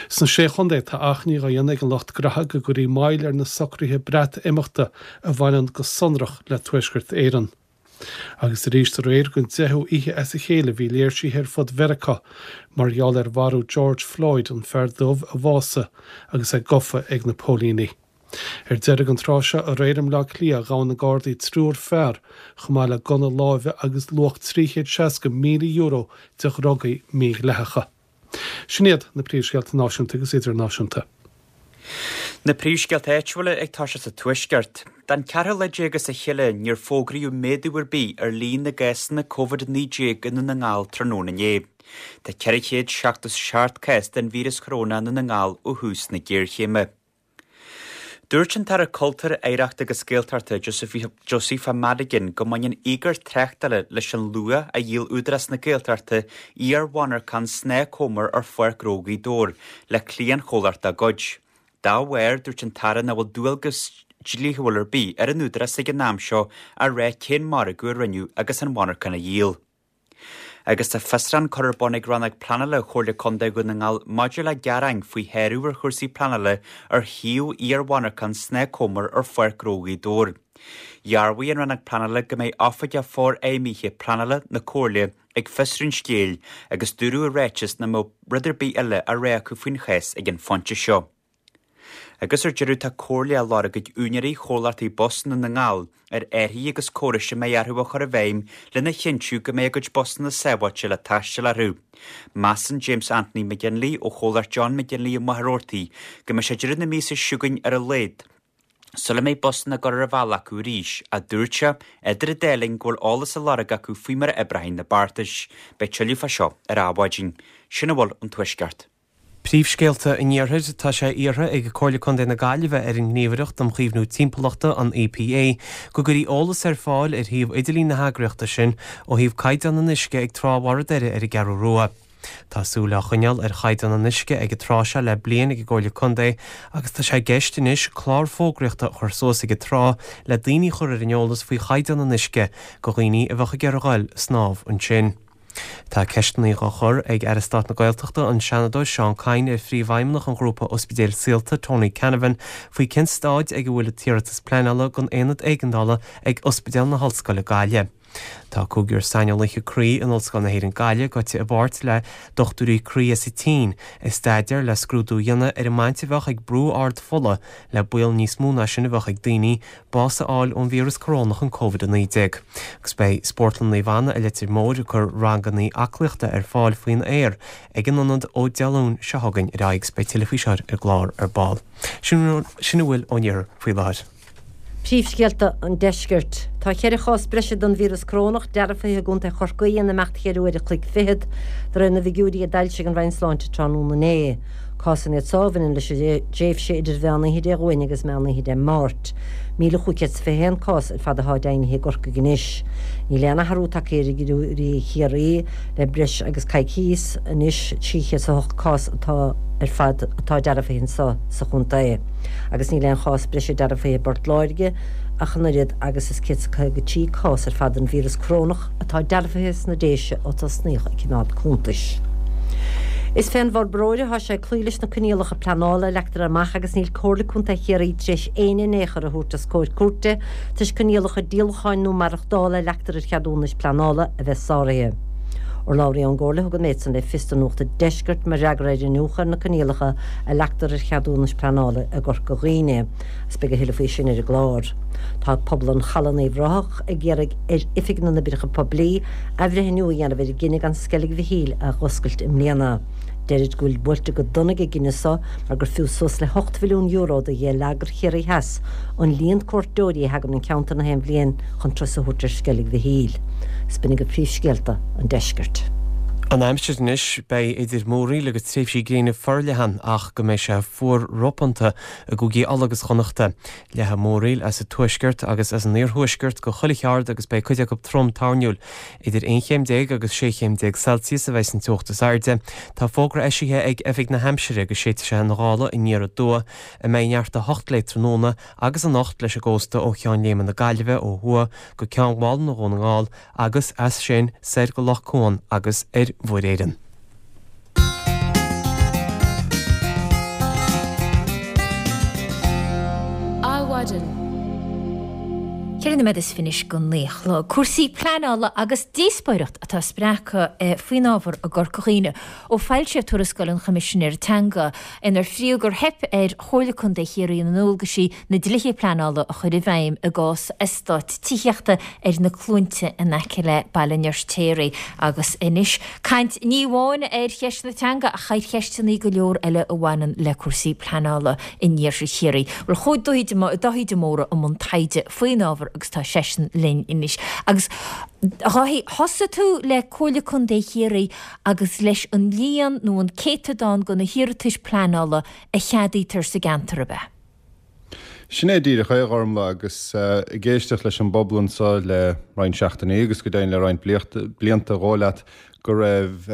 Sna Sé Chontae, tá achainí dhá dhéanamh ag an lucht graithe go gcuirfí moill ar na socruithe Breatimeachta a bhaineann go sonrach le Tuaisceart Éireann. Agus arís aréir don deichiú oíche as a chéile bhí léirsithe ar fud Mheiriceá mar gheall ar mharú George Floyd, an fear dubh a bhásaigh agus é gafa ag na póilíní. Ar deireadh an tráth seo aréir i mBleá Cliath ghabh na Gardaí triúr fear chomh maith le gunna láimhe agus luach €360,000 de dhrugaí mídhleathacha. Sin iad na príomhscéalta náisiúnta agus idirnáisiúnta. Na príomhscéalta áitiúla ag toiseacht sa Tuaisceart. Don cheathrú lá déag as a chéile níor fógraíodh méadú ar bith ar líon na gcásanna Covid-19 i nDún na nGall tráthnóna inné. Tá 477 cás den víreas chorónach i nDún na nGall ó thús na géarchéime. Dúirt an tAire Cultúir, Oidhreachta agus Gaeltachta, Josepha Madigan go mbaineann íogair tráchtála leis an luach a dhíol Údarás na Gaeltachta iar-mhonarchan Snáth Comer ar Pháirc Ghnó Ghaoth Dobhair le cliantchomhlacht dá gcuid. Dá bharr, dúirt an tAire nach bhfuil dualgas dlíthiúil ar bith ar an Údarás ag an am seo a rá cén margadh a rinneadh agus an mhonarchan á dhíol. Agus tá fiosrúchán curtha ar bun ag Rannóg Pleanála Chomhairle Contae Dhún na nGall maidir le gearáin faoi shárú ar chúrsaí pleanála ar shuíomh iar-mhonarchan Snáth Comer ar Pháirc Ghnó Ghaoth Dobhair. Dhearbhaigh an Rannóg Pleanála go mbeidh Oifigeach Forfheidhmithe Pleanála na Comhairle ag fiosrú an scéil agus dúradh i ráiteas nach mbeadh rud ar bith eile á rá acu faoin chás ag an phointe seo. Agus ar deireadh tá comhairle á lorg ag úinéirí chomhlachtaí bus i nDún na nGall ar árthaí agus córais a mbeidh orthu a chur i bhfeidhm lena chinntiú go mbeidh a gcuid busanna sábháilte le taisteal orthu. Measann James Anthony McGinley ó chomhlacht John McGinley i Machaire Rabhartaigh go mbeidh sé deireadh na míosa seo chugainn ar a laghad sula mbeidh busanna ag dul ar an bhealach acu arís, ach dúirt sé, idir an dá linn, go bhfuil eolas á lorg acu faoi mar a oibreoidh na beartais. Beidh tuilleadh fá seo ar Adhmhaidin. Sin a bhfuil ón Tuaisceart. Príomhscéalta an Iarthair, Tá sé iarrtha ag Comhairle Contae na Gaillimhe ar an nGníomhaireacht um Chaomhnú Timpeallachta, an EPA, go gcuirfí eolas ar fáil ar shuíomh idirlín na heagraíochta sin ó thaobh caighdeán an uisce ag Trá Bharr an Doire ar an gCeathrú Rua. Tá súil á choinneáil ar chaighdeán an uisce ag an trá seo le bliain ag an gComhairle Contae agus tá sé i gceist anois clár fógraíochta a chur suas ag an trá le daoine a chur ar an eolas faoi chaighdeán an uisce go dhaoine a bheadh ag iarraidh a ghoil ag snámh ansin. Tá ceisteanna á chur ag Aire Stáit na Gaeltachta, an Seanadóir Seán Kyne ar Phríomhfheidhmeannach an ghrúpa Ospidéil Saolta, Tony Canavan, faoi cén staid ag a bhfuil an t-iarratas pleanála don aonad éigeandála ag Ospidéal na hOllscoile Gaillimh. Tá cúigear saineolaithe croí in Ollscoil na hÉireann Gaillimh gaibhte i bpáirt le dochtúirí croí as an tSín i staidéar le scrúdú a dhéanamh ar an mbaint a bheadh ag brú ard fola le baol níos mó ná sin a bheadh ag daoine bás a fháil ón víreas corónach an Covid-19. Agus beidh Spórtlann Naomh Anna i Leitir Móir ag cur ranganna aclaíochta ar fáil faoin aer ag an ionad ó Dé Luain seo chugainn ar aghaidh agus beidh tuilleadh faoi seo ar an gclár ar ball. Sin a bhfuil ón iarthar faoi láthair. Príomhscéalta an Deiscirt. Tá 4 chás breise den víreas corónach dearfaithe i gContae Chorcaí in imeacht cheithre uair a chloig fichead, de réir na bhfigiúirí a d'fhoilsigh an Roinn Sláinte tráthnóna inné. Cásanna iad seo a bhaineann leis an dtréimhse idir mheán oíche Dé Luain agus meán oíche Dé Máirt. 1,521 cás ar fad atá deimhnithe i gCorcaigh anois. Níl aon athrú tagtha ar fhigiúirí Chiarraí le breis agus coicíos anois, 308 cás atá ar fad atá dearfaithe anseo sa chontae. agus níl aon chás breise dearfaithe i bPort Láirge ach an oiread agus is 153 cás ar fad den víreas corónach atá dearfaithe sna Déise ó tosnaíodh ag coimeád cuntais. Is fén bhforbróir atá sé cloí leis na coinníollacha pleanála a leagtar amach agus níl Comhairle Contae Chiarraí tar éis éinne in aon chor a thabhairt os comhair cúirte toisc coinníollacha díolacháin nó maireachtála a leagtar ar cheadúnais pleanála a bheith sáraithe. Urlabhraí ón gComhairle a thug an méid san le fios do Nuacht an Deiscirt mar fhreagra ar iniúchadh ar na coinníollacha a leagtar ar cheadúnais pleanála i gCorca Dhuibhne, agus beidh a thuilleadh faoi sin ar an gclár. Tá pobal an Chalaidh in Uíbh Ráthach ag iarraidh ar Oifig na nOibreacha Poiblí athbhreithniú a dhéanamh ar a gcinneadh gan Sceilg Mhichíl a dh'oscailt i mbliana. Deirid go bhfuil buailte go dona ag an gcinneadh so mar gur fiú suas le €8 mhilliún do gheilleagar Chiarraí Theas an líon cuairteoirí a thagann 'on cheantar na haon bhliain chun turas a thabhairt ar Sceilg Mhichíl. 'S b'in agaibh príomhscéalta an deiscirt. An aimsir anois, beidh idir múraíl agus tréimhsí gréine forleathan ach go mbeidh sé fuar ropánta i gcúigí Uladh agus Chonnachta. Leathfaidh múraíl as an tuaisceart agus as an iarthuaisceart go chuile cheard agus beidh cuid acu trom toirniúil. Idir 11 chéim agus 16 chéim Celsius a bheidh an teocht is airde. Tá fógra eisithe ag Oifig na hAimsire go séidfidh sé an ghála aniar aduaidh a mbeidh neart 8 léi tráthnóna agus anocht leis an gcósta ó Cheann Léime na Gaillimhe ó thuaidh go Ceann Mhálanna Dhún na nGall agus as sin soir go Loch Cuan agus ar Mhuir Éireann. Adhmhaidin. 4 nóiméad is fiche anois go 9 a chlog. Cúrsaí pleanála agus díospóireacht atá spreagtha faoin ábhar i gCorca Dhuibhne ó foilsíodh tuarascáil an Choimisinéara Teanga inar fríodh gur theip ar Chomhairle Contae Chiarraí na ndualgaisí na dlíthe pleanála a chur i bhfeidhm i gcás eastát tithíochta ar na Cluainte in aice le Baile an Fheirtéaraigh. Agus anois, caint ní amháin ar cheist na teanga ach ar cheisteanna go leor eile a bhaineann le cúrsaí pleanála in iarthar Chiarraí. Bhuel, chuaigh Dáithí de Mórdha i mbun taighde faoin ábhar agus tá seisean linn anois. Agus, a Dháithí, thosaigh tú le Comhairle Contae Chiarraí agus leis an líon nó an céatadán de na hiarratais pleanála a cheadaítear sa gceantar, ab ea? Sin é díreach é, a Ghormlaith, agus ag éisteacht leis an bpobal anso le roinnt seachtainí agus go deimhin le roinnt blianta, dhóigh leat go raibh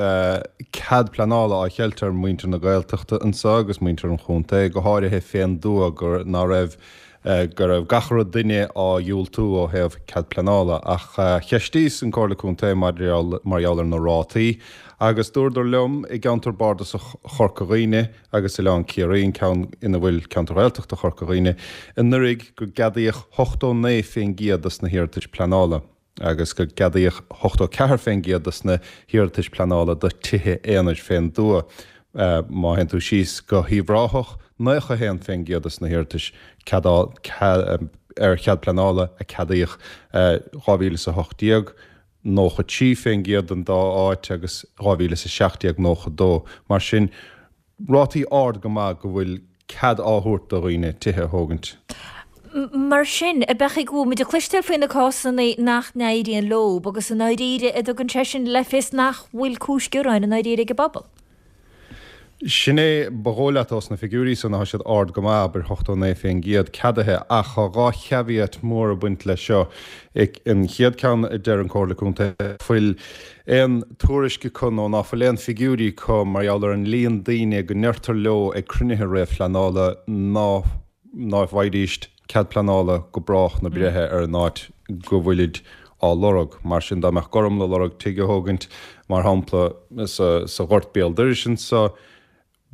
cead pleanála á cheilt ar mhuintir na Gaeltachta anso agus muintir an chontae, go háirithe fén dtuath, gur ná raibh go raibh gach re duine á dhiúltú ó thaobh cead pleanála. Ach cheistíos an Comhairle Contae mar gheall ar na rátaí agus dúradar liom i gceantar bardasach Chorca Dhuibhne agus Oileán Ciarraí, an ceann ina bhfuil ceantar Ghaeltachta Chorca Dhuibhne, anuraidh go gceadaíodh 89% dos na hiarratais pleanála. agus go gceadaíodh 84% dos na hiarratais pleanála do tithe aonair fén dtuath. Má théann tú síos go hUíbh Ráthach, 91% dos na hiarratais ar chead pleanála a ceadaíodh 2018, 93% don dá áit agus 2017, 92. Mar sin, rátaí ard go maith go bhfuil cead á thabhairt do dhaoine tithe a thógaint. Mar sin, ab ea go bhfuil muid ag cloisteáil faoi na cásanna nach n-éiríonn leob agus i ndáiríre an dtugann sé sin le fios nach bhfuil cúis gearáin i ndáiríre ag an bpobal. Sin é, ba dhóigh leat ós na figiúirí san, tá siad ard go maith, abair 89% ceadaithe, ach tá 2 chaveat mór ag baint leis seo. An chéad ceann a deir an Comhairle Contae, fuil aon tuairisc acu nó ná fuil aon figiúirí acu mar gheall ar an líon daoine go ndeirtear leo ag cruinnithe réamhphleanála ná ná bhfaighidíst cead pleanála go brách na breithe ar an áit go bhfuilid á lorg. Mar sin dá mbeadh Gormlaith ag lorg tigh a thógaint, mar shampla, sa ghort béal dorais anso,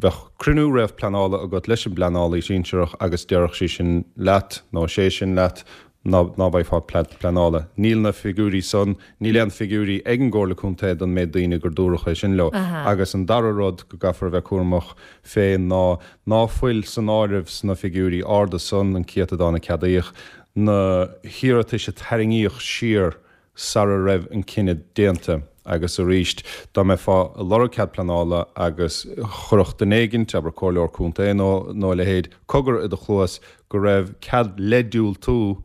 Bheadh cruinniú réamhphleanála agat leis an bpleanálaí sinsearach agus déarfadh sí sin leat, nó sé sin leat, ná ná bhfaighfeá cead pleanála. Níl na figiúirí san, níl aon figiúirí ag an gComhairle Contae don méid daoine gur dúradh é sin leo. Agus an dara rud go gcaithfear a bheith cúramach fé ná ná fuil san áireamh sna figiúirí arda san, an céatadán a ceadaíodh, na hiarratais a tarraingíodh siar sara raibh an cinneadh déanta agus arís dá mbeifeá ag lorg cead pleanála agus chuirfeadh duine éigint, abair comhairleoir contae nó nó a leithéid, cogar i do chluas go raibh cead le diúltú.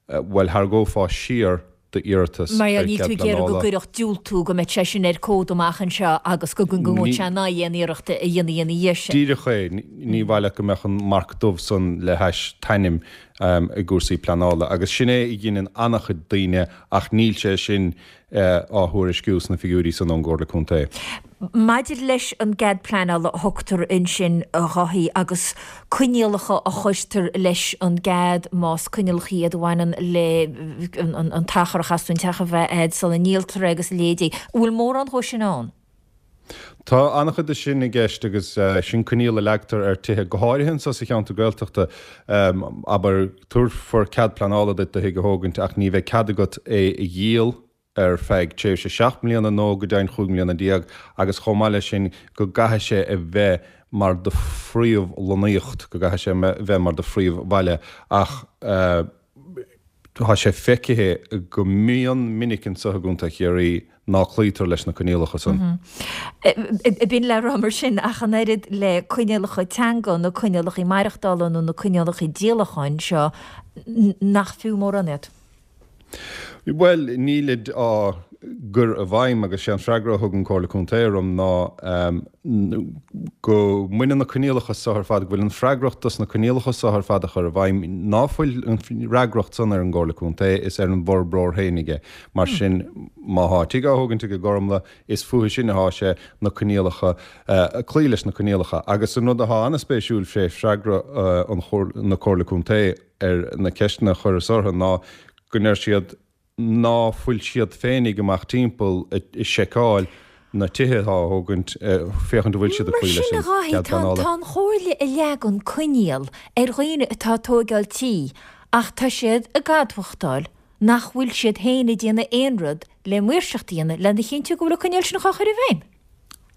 Bhuel, tharraingeofá siar d'iarratas Mar ar níl cead tú ag iarraidh go pleanála. gcuirfeadh diúltú go mbeadh sé sin ar comhad amach anseo agus go ngabhfaidh sé in aghaidh aon iarracht a dhéanfaí ina dhiaidh sin. Díreach é. Ní mhaith leat go mbeadh an marc dubh san le hais t'ainm i gcúrsaí pleanála. Agus sin é a dheineann an-chuid daoine ach níl sé sin á thuairisciú sna figiúirí san ón gComhairle Contae. Maidir leis an gcead pleanála a thugtar ansin, a Dháithí, agus coinníollacha a chuirtear leis an gcead, más coinníollacha iad a bhaineann le an t-achar a chaithfeas tú an teach a bheith agat sula ndíoltar é agus a leithéidí, an bhfuil mórán dhó sin ann? Tá an-chuid de sin i gceist agus sin coinníoll a leagtar ar tithe, go háirithe anseo sa cheantar Gaeltachta. Abair, tabharfar cead pleanála duit do thigh a thógaint ach ní bheidh cead agat é a dhíol ar feadh tréimhse 7 mbliana nó go deimhin 15 mbliana agus chomh maith leis sin go gcaithfidh sé a bheith mar do phríomhlonnaíocht, go gcaithfidh sé a bheith mar do phríomhbhaile ach. Tá sé feicthe go mion minic anseo i gContae Chiarraí ná cloítear leis na coinníollacha san. B'in le rá mar sin, ach an oiread le coinníollacha teanga, na coinníollacha maireachtála nó na coinníollacha díolacháin seo, nach fiú mórán iad. Bhuel, nílid á gcur i bhfeidhm agus sé an freagra a thug an Comhairle Contae orm ná go mbaineann na coinníollacha so ar fad, go bhfuil an freagracht dos na coinníollacha so ar fad a chur i bhfeidhm, ná fuil an fhreagracht san ar an gComhairle Contae, is ar an bhforbróir fhéinig é. Mar sin, má thá tigh á thógaint ag i gCormlaith, is fúthu sin athá sé na coinníollacha, cloí leis na coinníollacha. Agus an rud athá an-spéisiúil fé freagra an na Comhairle Contae ar na ceisteanna a chuireas orthu ná go ndeir siad ná fuil siad féinig amach timpeall ag seiceáil na tithe atá á thógaint, féachaint an bhfuil siad ag cloí leis an gcead pleanála. Tá an Chomhairle ag leagan coinníoll ar dhaoine atá ag tóigeáil tí ach tá siad ag admhachtáil nach bhfuil siad féin ag déanamh aon rud le maoirseacht a dhéanamh lena chinntiú go bhfuil an coinníoll sin á chur i bhfeidhm.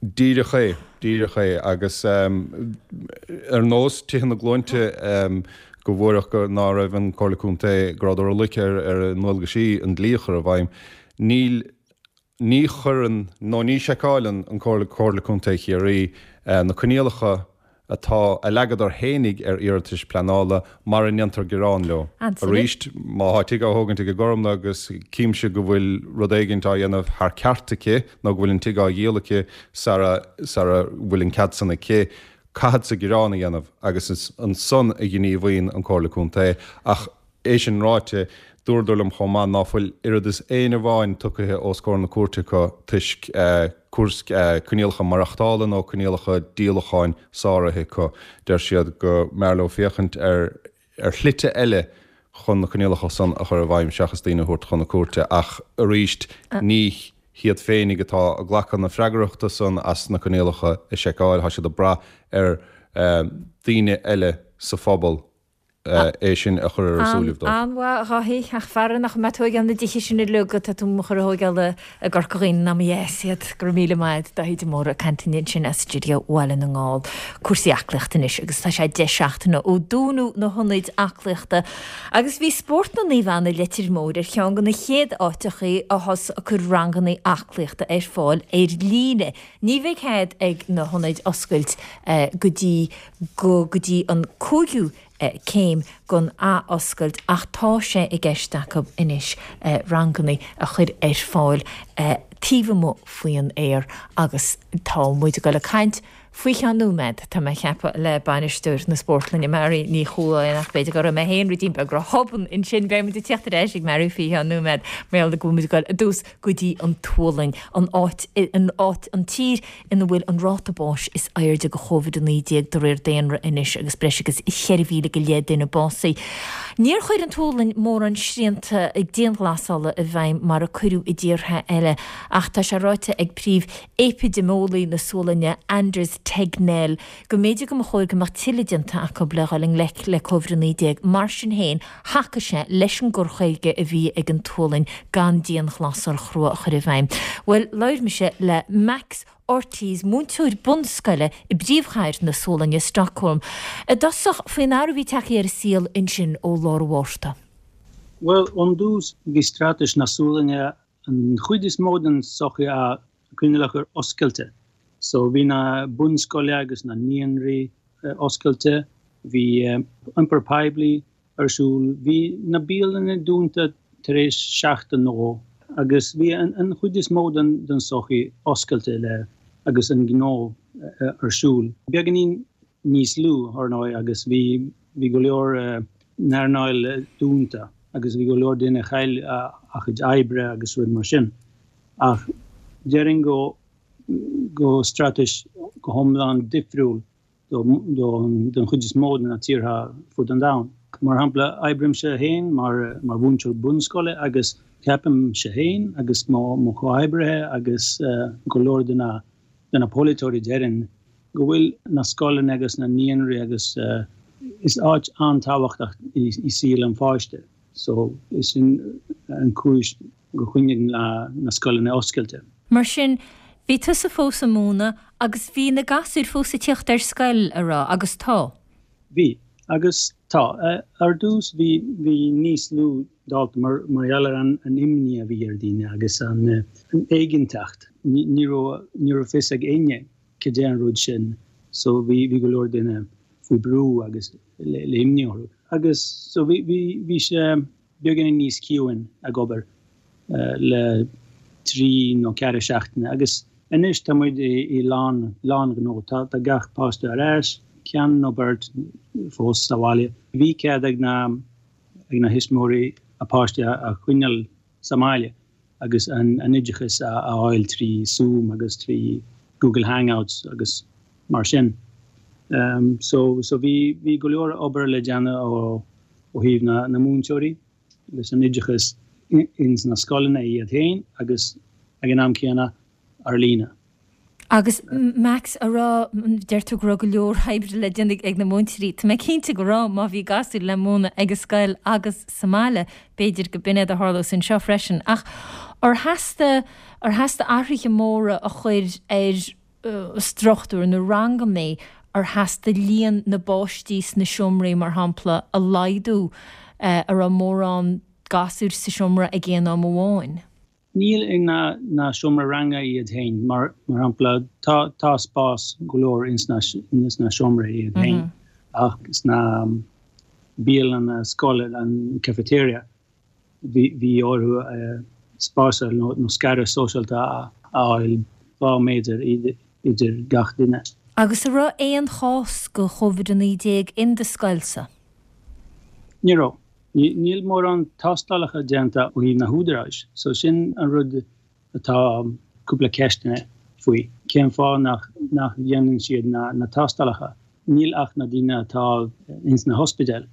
Díreach é, díreach é. Agus ar nós Tithe na Glóinte go bhfuaireadh go ná raibh an Comhairle Contae, go rabhadar olc ar a ndualgaisí an dlí a chur i bhfeidhm, níl, ní chuireann nó ní sheiceáileann an Comhairle, Comhairle Contae Chiarraí na coinníollacha atá, a leagadar fhéinig ar iarratais pleanála mara ndéantar gearán leo. Arís, má thá tigh á thógaint ag i gCormlaith agus címse go bhfuil rud éigint á dhéanamh thar ceart aici nó go bhfuil an tigh á dhíol aici sara, sara bhfuil an cead san aici, caithfeadsa gearán a dhéanamh agus is ansan a ghníomhaíonn an Comhairle Contae ach É sin ráite, dúradar liom chomh maith ná fuil oiread is éinne amháin tugtha os comhair na cúirte acu toisc coinníollacha maireachtála nó coinníollacha díolacháin sáraithe acu. Deir siad go mb'fhearr leo féachaint ar ar shlite eile chun na coinníollacha san a chur i bhfeidhm seachas daoine a thabhairt chun na cúirte ach arís ní hiad féinig atá ag glacadh na freagrachta san as na coinníollacha a sheiceáil, tá siad ag brath ar daoine eile sa phobal. é sin a chur ar a súilibh dóibh. An-mhaith, a Dháithí, ach fara nach mbeidh tú ag tóigeáil na dtithe sin uilig atá tú a chur a thóigeáil i gCorca Dhuibhne ná mo dheas iad. Go raibh míle maith agat, Dáithí de Mórdha ag caint linn ansin as stiúideo Bhaile na nGall. Cúrsaí aclaíochta anois agus tá sé 10 seachtaine ó dúnadh na hionaid aclaíochta agus bhí Spórtlann Naomh Anna Leitir Móir ar cheann de na chéad áiteachaí a thosaigh ag cur ranganna aclaíochta ar fáil ar líne. Ní bheidh cead ag na hionaid oscailt go dtí go go dtí an cúigiú céim den athoscailt ach tá sé i gceist acu anois ranganna a chur ar fáil taobh amuigh faoin aer agus tá muid ag dul ag caint faoi cheann nóiméad, tá mé ag ceapadh, le bainisteoir na spórtlainne Mary Ní Chualáin ach b'fhéidir go raibh mé féin ruidín beag ró-thobann ansin. Beidh muid ag tíocht ar ais ag Mary faoi cheann nóiméad mar gheall go bhfuil muid ag dul i dtús go dtí an tSualainn, an áit, an áit, an tír ina bhfuil an ráta báis is airde de Covid-19 de réir daonra anois agus breis agus 4,000 go leith duine básaithe. Níor chuir an tSualainn mórán srianta dianghlasála i bhfeidhm mar a cuireadh i dtíortha eile ach tá sé ráite ag príomh-eipidéimeolaí na Sualainne, Anders Tegnell, go mb'fhéidir go mba chóir go mbeadh tuilleadh déanta acu le dhul i ngleic le Covid-19. Mar sin féin, thacaigh sé leis an gcur chuige a bhí ag an tSualainn gan dianghlasáil chrua a chur i bhfeidhm. Bhuel, labhair mise le Max Ortiz, múinteoir bunscoile i bpríomhchathair na Sualainne, Stockholm, i dtosach faoin athrú a bhí tagtha ar a saol ansin ó lár an Mhárta. Bhuel, ón dtús, bhí straitéis na Sualainne an chuid is mó den sochaí a choinneáil ar oscailte. So bhí na bunscoile agus na naíonraí oscailte, bhí iompar poiblí. ar siúl. Bhí na bialanna dúnta tar éis seachtain nó dhó agus bhí an chuid is mó den sochaí oscailte le agus an gnó ar siúl. Beagáinín níos lú, ar ndóigh, agus bhí bhí go leor n-earnáil dúnta agus bhí go leor duine a chaill a chuid oibre agus rud mar sin. Ach déarfainn go go straitéis go hiomlán difriúil don chuid is mó de na tíortha fud an domhain. Mar shampla, oibrímse féin mar mhúinteoir bunscoile agus ceapaimse féin agus mo chomhoibrithe agus go leor de na de na polaiteoirí déarfainn go bhfuil na scoileanna agus na naíonraí agus is áit an-tábhachtach i saol an pháiste so is sin an cúis go choinnigh na scoileanna oscailte. Mar sin, bhí tusa fós ag múineadh agus bhí na gasúir fós ag tíocht ar scoil, a raibh, agus tá? Bhí, agus tá. Ar dtús bhí bhí níos lú dalta mar mar gheall ar an an imní a bhí ar daoine agus an an éiginnteacht. Ní raibh ní raibh fios ag éinne cad é an rud sin so bhí bhí go leor duine faoi brú agus le le imní orthu. Agus so bhí bhí bhí sé beagáinín níos ciúin ag obair le 3 nó 4 seachtaine agus anois tá muid i lán lán gnó. Tá tá gach páiste ar ais, ceann nó beirt fós sa bhaile. Bhí cead ag na ag na thuismitheoirí a páistí a choinneáil sa mbaile agus an an oideachas a a fháil trí Zoom agus trí Google Hangouts agus mar sin. So so bhí bhí go leor obair le déanamh ó ó thaobh na na múinteoirí leis an oideachas ins na scoileanna iad féin agus ag an am céanna ar líne. Agus Max, a raibh, deir tú go raibh go leor oibre le déanamh ag na múinteoirí. Tá mé cinnte go raibh, má bhí gasúir le múineadh ag an scoil agus sa mbaile, b'fhéidir go b'in é a tharlós anseo freisin. Ach ar theastaigh, ar theastaigh athruithe móra a chur ar struchtúr na ranganna, ar theastaigh líon na bpáistí sna seomraí, mar shampla, a laghdú, a raibh mórán gasúir sa seomra ag aon am amháin? Níl i na na seomra ranga iad féin, mar mar shampla, tá tá spás go leor ins na ins na seomraí iad féin, ach sna bialanna scoile, an cafeteria, bhí bhí orthu spás nó nó scaradh sóisialta a fháil 2 méadar idir gach duine. Agus a raibh aon chás de Covid-19 in do scoilsa? Ní raibh. Níl mórán tástálacha déanta ó thaobh na húdaráis, so sin an rud atá cúpla ceisteanna faoi. Cén fáth nach nach dhéanann siad na na tástálacha? Níl ach na daoine atá ins na hospidéil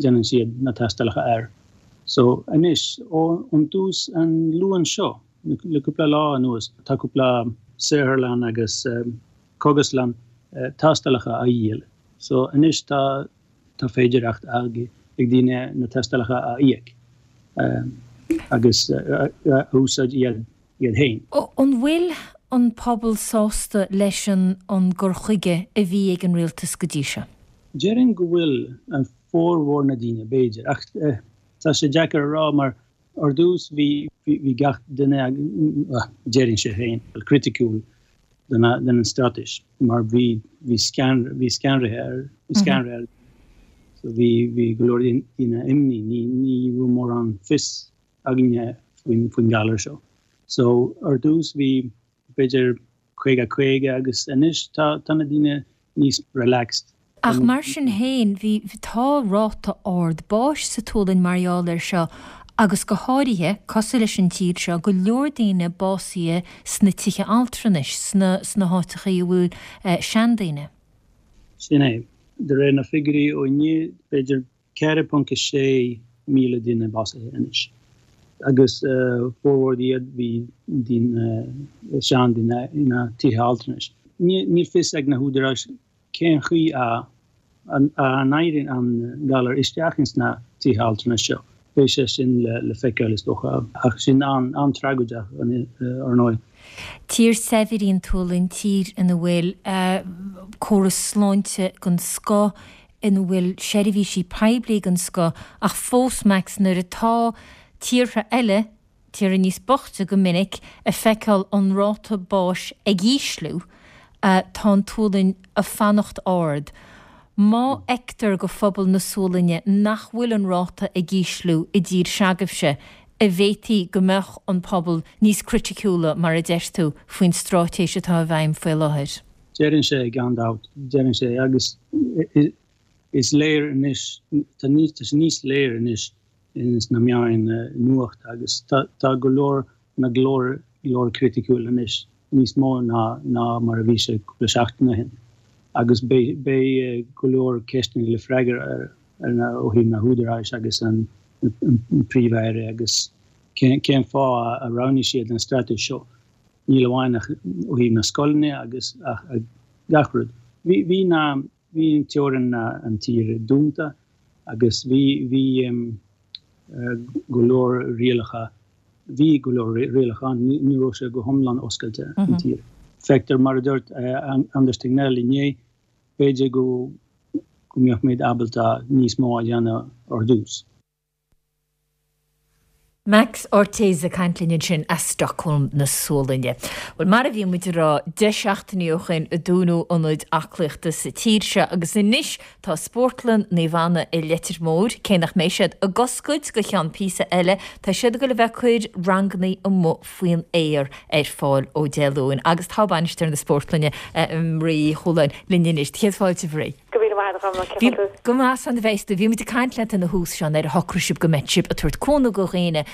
déanann siad na tástálacha air. So anois, ó ón dtús an Luan seo, le cúpla lá anuas, tá cúpla saotharlann agus cógaslann tástálacha á dhíol. So anois tá Tá féidearthacht ag daoine na tástálacha a íoc agus a úsáid iad féin. An bhfuil an pobal sásta leis an an gcur chuige a bhí ag an rialtas go dtí seo? Déarfainn go bhfuil, an formhór na daoine, b'fhéidir, ach tá sé deacair a rá mar ar dtús bhí bhí gach duine, déarfainnse féin, criticiúil den an straitéis mar bhí bhí scan bhí scanraithe ar bhí scanraithe ar so bhí bhí go leor daoine imní ní ní raibh mórán fios againne faoin faoin galar seo. So ar dtús bhí b'fhéidir 50 50 agus anois tá tá na daoine níos relaxed. Ach mar sin féin, bhí, tá ráta ard báis sa tSualainn mar gheall air seo agus go háirithe, cosúil leis an tír seo, go leor daoine básaithe sna tithe altranais, sna, sna háiteachaí a bhfuil seandaoine. Sin é. De réir na figiúirí ó inniu, b'fhéidir 4.6 míle duine básaithe anois agus formhór iad bhí daoine, seandaoine ina tithe altranais. Níl fios ag na húdaráis cén chaoi a n-éiríonn an galar isteach ins na tithe altranais seo. Beidh sé sin le feiceáil is dócha, ach sin an-tragóideach ar ndóigh. Tír saibhir í an tSualainn, tír ina bhfuil córas sláinte den scoth, ina bhfuil seirbhísí poiblí den scoth, ach fós, Max, nuair atá tíortha eile, tíortha níos boichte go minic, ag feiceáil an ráta báis ag ísliú, tá an tSualainn ag fanacht ard. Má fheictear go phobal na Sualainne nach bhfuil an ráta ag ísliú i dtír se'agaibhse, a bhféadfaí go mbeadh an pobal níos criticiúla, mar a deir tú, faoin stráitéis atá i bhfeidhm faoi láthair? Déarfainnse, gan dabht. Déarfainnse, agus is léir anois, tá sé níos léir anois ins na meáin nuachta agus tá go leor na glór glór criticiúil anois, níos mó ná ná mar a bhí sé cúpla seachtain ó shin. Agus beidh beidh go leor ceisteanna le freagra ar ar na ó thaobh na húdaráis agus an an príomh-aire agus cén cén fáth a roghnaigh siad an straitéis seo. Níl amháin ach ó thaobh na scoileanna agus ach gach rud. Bhí bhí na Bhí an teorainn an tír dúnta agus bhí bhí go leor rialacha bhí go leor rialacha ann, ní raibh sé go hiomlán oscailte an tír. Feictear mar a dúirt Anders Tegnell inné, b'fhéidir go go mbeadh muid ábalta níos mó a dhéanamh ar dtús. Max Ortiz ag caint linn ansin as Stockholm na Sualainne. Bhuel, mar a bhí muid ag rá 10 seachtainí ó shoin a dúnadh ionaid aclaíochta sa tír seo agus anois tá Spórtlann Naomh Anna i Leitir Móir, cé nach mbeidh siad ag oscailt go cheann píosa eile, tá siad ag dul a bheith ag cur rangannaí amuigh faoin aer ar fáil ó Dé Luain agus tá bainisteoir na spórtlainne, Marie Uí Chualáin, linn anois. Céad fáilte, a Mharie. Go raibh míle maith agat, a Dhomhnaill. Cén chaoi tú? Go maith, slán a bheas tú. Bhí muid ag caint leat ina thús seo nuair a shocraigh sibh go mbeadh sibh ag tabhairt cúnamh go dhaoine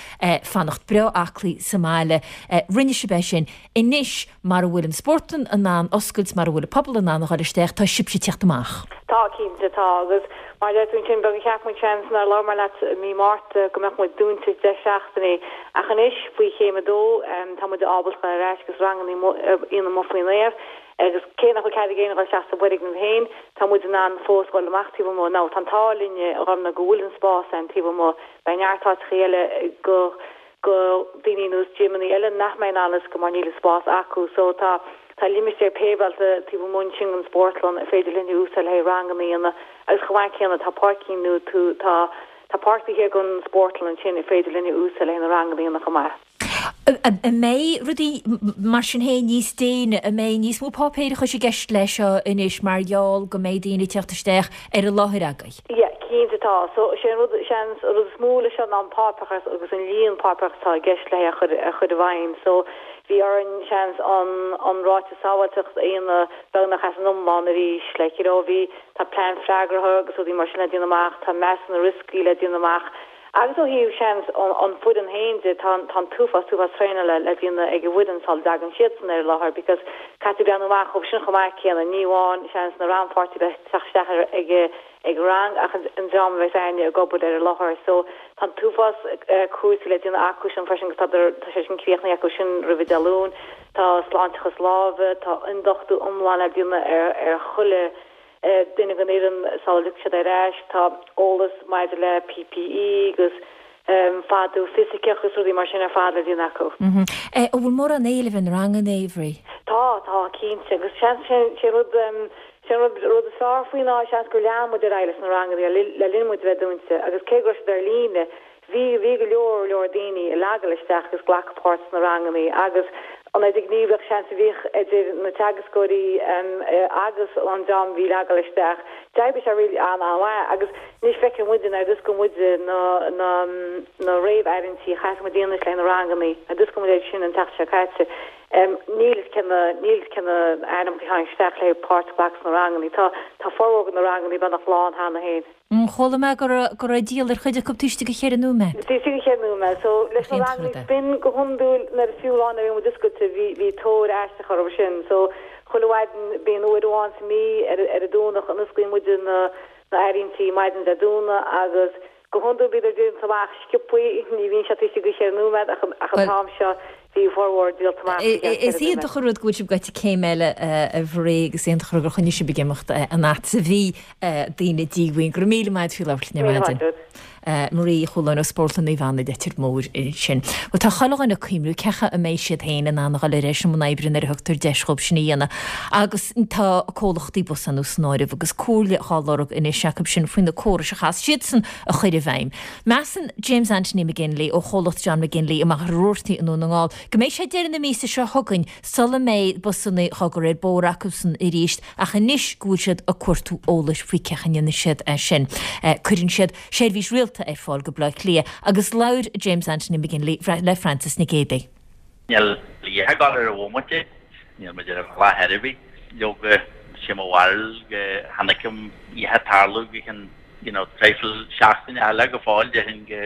fanacht breá aclaí sa mbaile. Rinne sibh é sin. Anois, mar a bhfuil an spórtlann in ann oscailt, mar a bhfuil an pobal in ann a dhul isteach, tá sibhse ag tíocht amach. Tá, cinnte, tá. Agus mar a deir tú ansin, beag a cheap muid seans nuair a labhair mé leat i mí Márta go mbeadh muid dúnta 10 seachtainí. Ach anois, faoi chéim a dó, tá muid ábalta dhul ar ais agus ranganna a dhéanamh amuigh faoin aer. Agus cé nach bhfuil cead ag éinne dhul isteach sa bhfoirgneamh féin, tá muid in ann fós dhul amach taobh amuigh. Now, tá an t-ádh linn, a Dhomhnaill, go bhfuil an spás ann taobh amuigh. Beidh neart áiteachaí eile go, go daoine ar nós gymeannaí eile nach mbeidh in ann oscailt mar níl an spás acu. So, tá, tá limistéar péiveáilte taobh amuigh ansin den spórtlann ar féidir linn a úsáid le haghaidh ranganna a dhéanamh. Agus chomh maith céanna, tá páircín nó tú, tá, tá páirc taobh thiar den spórtlann ansin ar féidir linn a úsáid le haghaidh na ranganna a dhéanamh chomh maith. An mbeidh rudaí mar sin féin níos déine? An mbeidh níos mó páipéireachais i gceist leis seo anois mar gheall go mbeidh daoine ag teacht isteach ar an láthair agaibh? Yeah, cinnte tá. So, sé an rud, seans, an rud is mó leis seo ná an páipéarachas agus an líon páipéarachas atá i gceist le é a chur, a chur i bhfeidhm. So, bhí orainn, seans, an, an ráiteas sábháilteacht a dhéanamh beagnach as an iomlán arís. Like, you know, bhí, tá plean freagartha agus rudaí mar sin le déanamh amach, tá measúnú rioscaí le déanamh amach. Agus ó thaobh, seans, an foireann féin de, tá an t-uafás, t-uafás traenála le déanamh ag an bhfoireann sula dtagann siadsan ar an láthair because caithfidh tú breathnú amach dhóibh sin chomh maith céanna, ní amháin, seans, na rannpháirtithe a bheith ag teacht isteach ar ag ag rang ach an dream a bheas a'inne ag obair ar an láthair. So tá an t-uafás cúrsaí le déanamh acu sin freisin agus tá tá sé sin críochnaithe acu sin roimhe Dé Luain. Tá sláinteachas láimhe, tá ionduchtú iomlán le déanamh ar ar chuile duine den fhoireann sula dtiocfaidh siad ar ais. Tá eolas maidir le PPE agus fadú fisiceach agus rudaí mar sin ar fad le déanamh acu. An bhfuil mórán éilimh ar na ranganna, a Mharie? Tá, tá, cinnte. Agus seans, sé an rud, sé an rud, rud is fearr faoi ná seans gur lean muid ar aghaidh leis na ranganna le linn muid a bheith dúnta agus cé go raibh siad ar líne, Bhí, bhí go leor, leor daoine ag gabháil isteach agus glacadh páirt sna rangannaí agus an idirghníomhaíocht seans a bhíodh idir na teagascóirí agus an dream a bhí ag gabháil isteach, d'oibrigh sé really an-an-mhaith agus anois feiceann muid nuair a d'oscail muid na, na, na réamh-áirithintí a chaithfeas muid a dhéanamh le na rangannaí, nuair a d'oscail muid iad sin an tseachtain seo caite, níl fhios cé na, níl fhios cé na ainmneacha a tháinig isteach le páirt a ghlacadh sna rangannaí. Tá, tá formhór de na rangannaí beagnach lán cheana féin. Chuala mé go raibh go raibh díol ar chuid acu taobh istigh de cheithre nóiméad. Taobh istigh de cheithre nóiméad. So leis na rangannaí spin go hiondúil nuair fiú lá nuair a bhí muid oscailte bhí bhí tóir aisteach orthu sin. So chuile mhaidin bíonn uair amháin sa mí ar ar an Domhnach a n-osclaíonn muid na na áirithintí maidin Dé Domhnaigh agus go hiondúil bíodar díolta amach sciobthaí ní bhíonn sé taobh istigh de cheithre nóiméad ach ach an t-am seo bhí formhór díolta amach faoi cheann Is ceithre nóiméad. iontach an rud go bhfuil sibh gaibhte céim eile a Mharie agus iontach an rud gur choinnigh sibh ag imeacht an fhad is a bhí daoine díomhaoin. Go raibh míle maith agat faoi labhairt linn ar Míle maidin. maith agat. Marie Uí Chualáin ó Spórtlann Naomh Anna Leitir Móir ansin. Bhuel tá chuile dhuine ag cuimhniú cén chaoi a mbeidh siad féin in ann a dhul ar ais i mbun oibre nuair a thugtar deis dhóibh sin a dhéanamh agus tá comhlachtaí busanna san áireamh agus comhairle dhá lorg anois acu sin faoi na córais a chaithfeas siadsan a chur i bhfeidhm. Measann James Anthony McGinley ó chomhlacht John McGinley i Machaire Rabhartaigh i nDún na nGall go mbeidh sé deireadh na míosa seo chugainn sula mbeidh busanna dhá gcur ar bóthar acusan arís ach anois go bhfuil siad ag cuartú eolais faoi cén chaoi a ndéanfaidh siad é sin. Cuireann siad seirbhís rialta ar fáil go Bleá Cliath agus labhair James Anthony McGinley le Frances Nic Géadaigh. Níl a dhath ag dul ar an bhomaite, níl muid ar an bhealach ar bith. Leoga, sé mo bharúil go chonaic a dhath ag tarlú go ceann you know traidhfil seachtaine eile go fóill, déarfainn go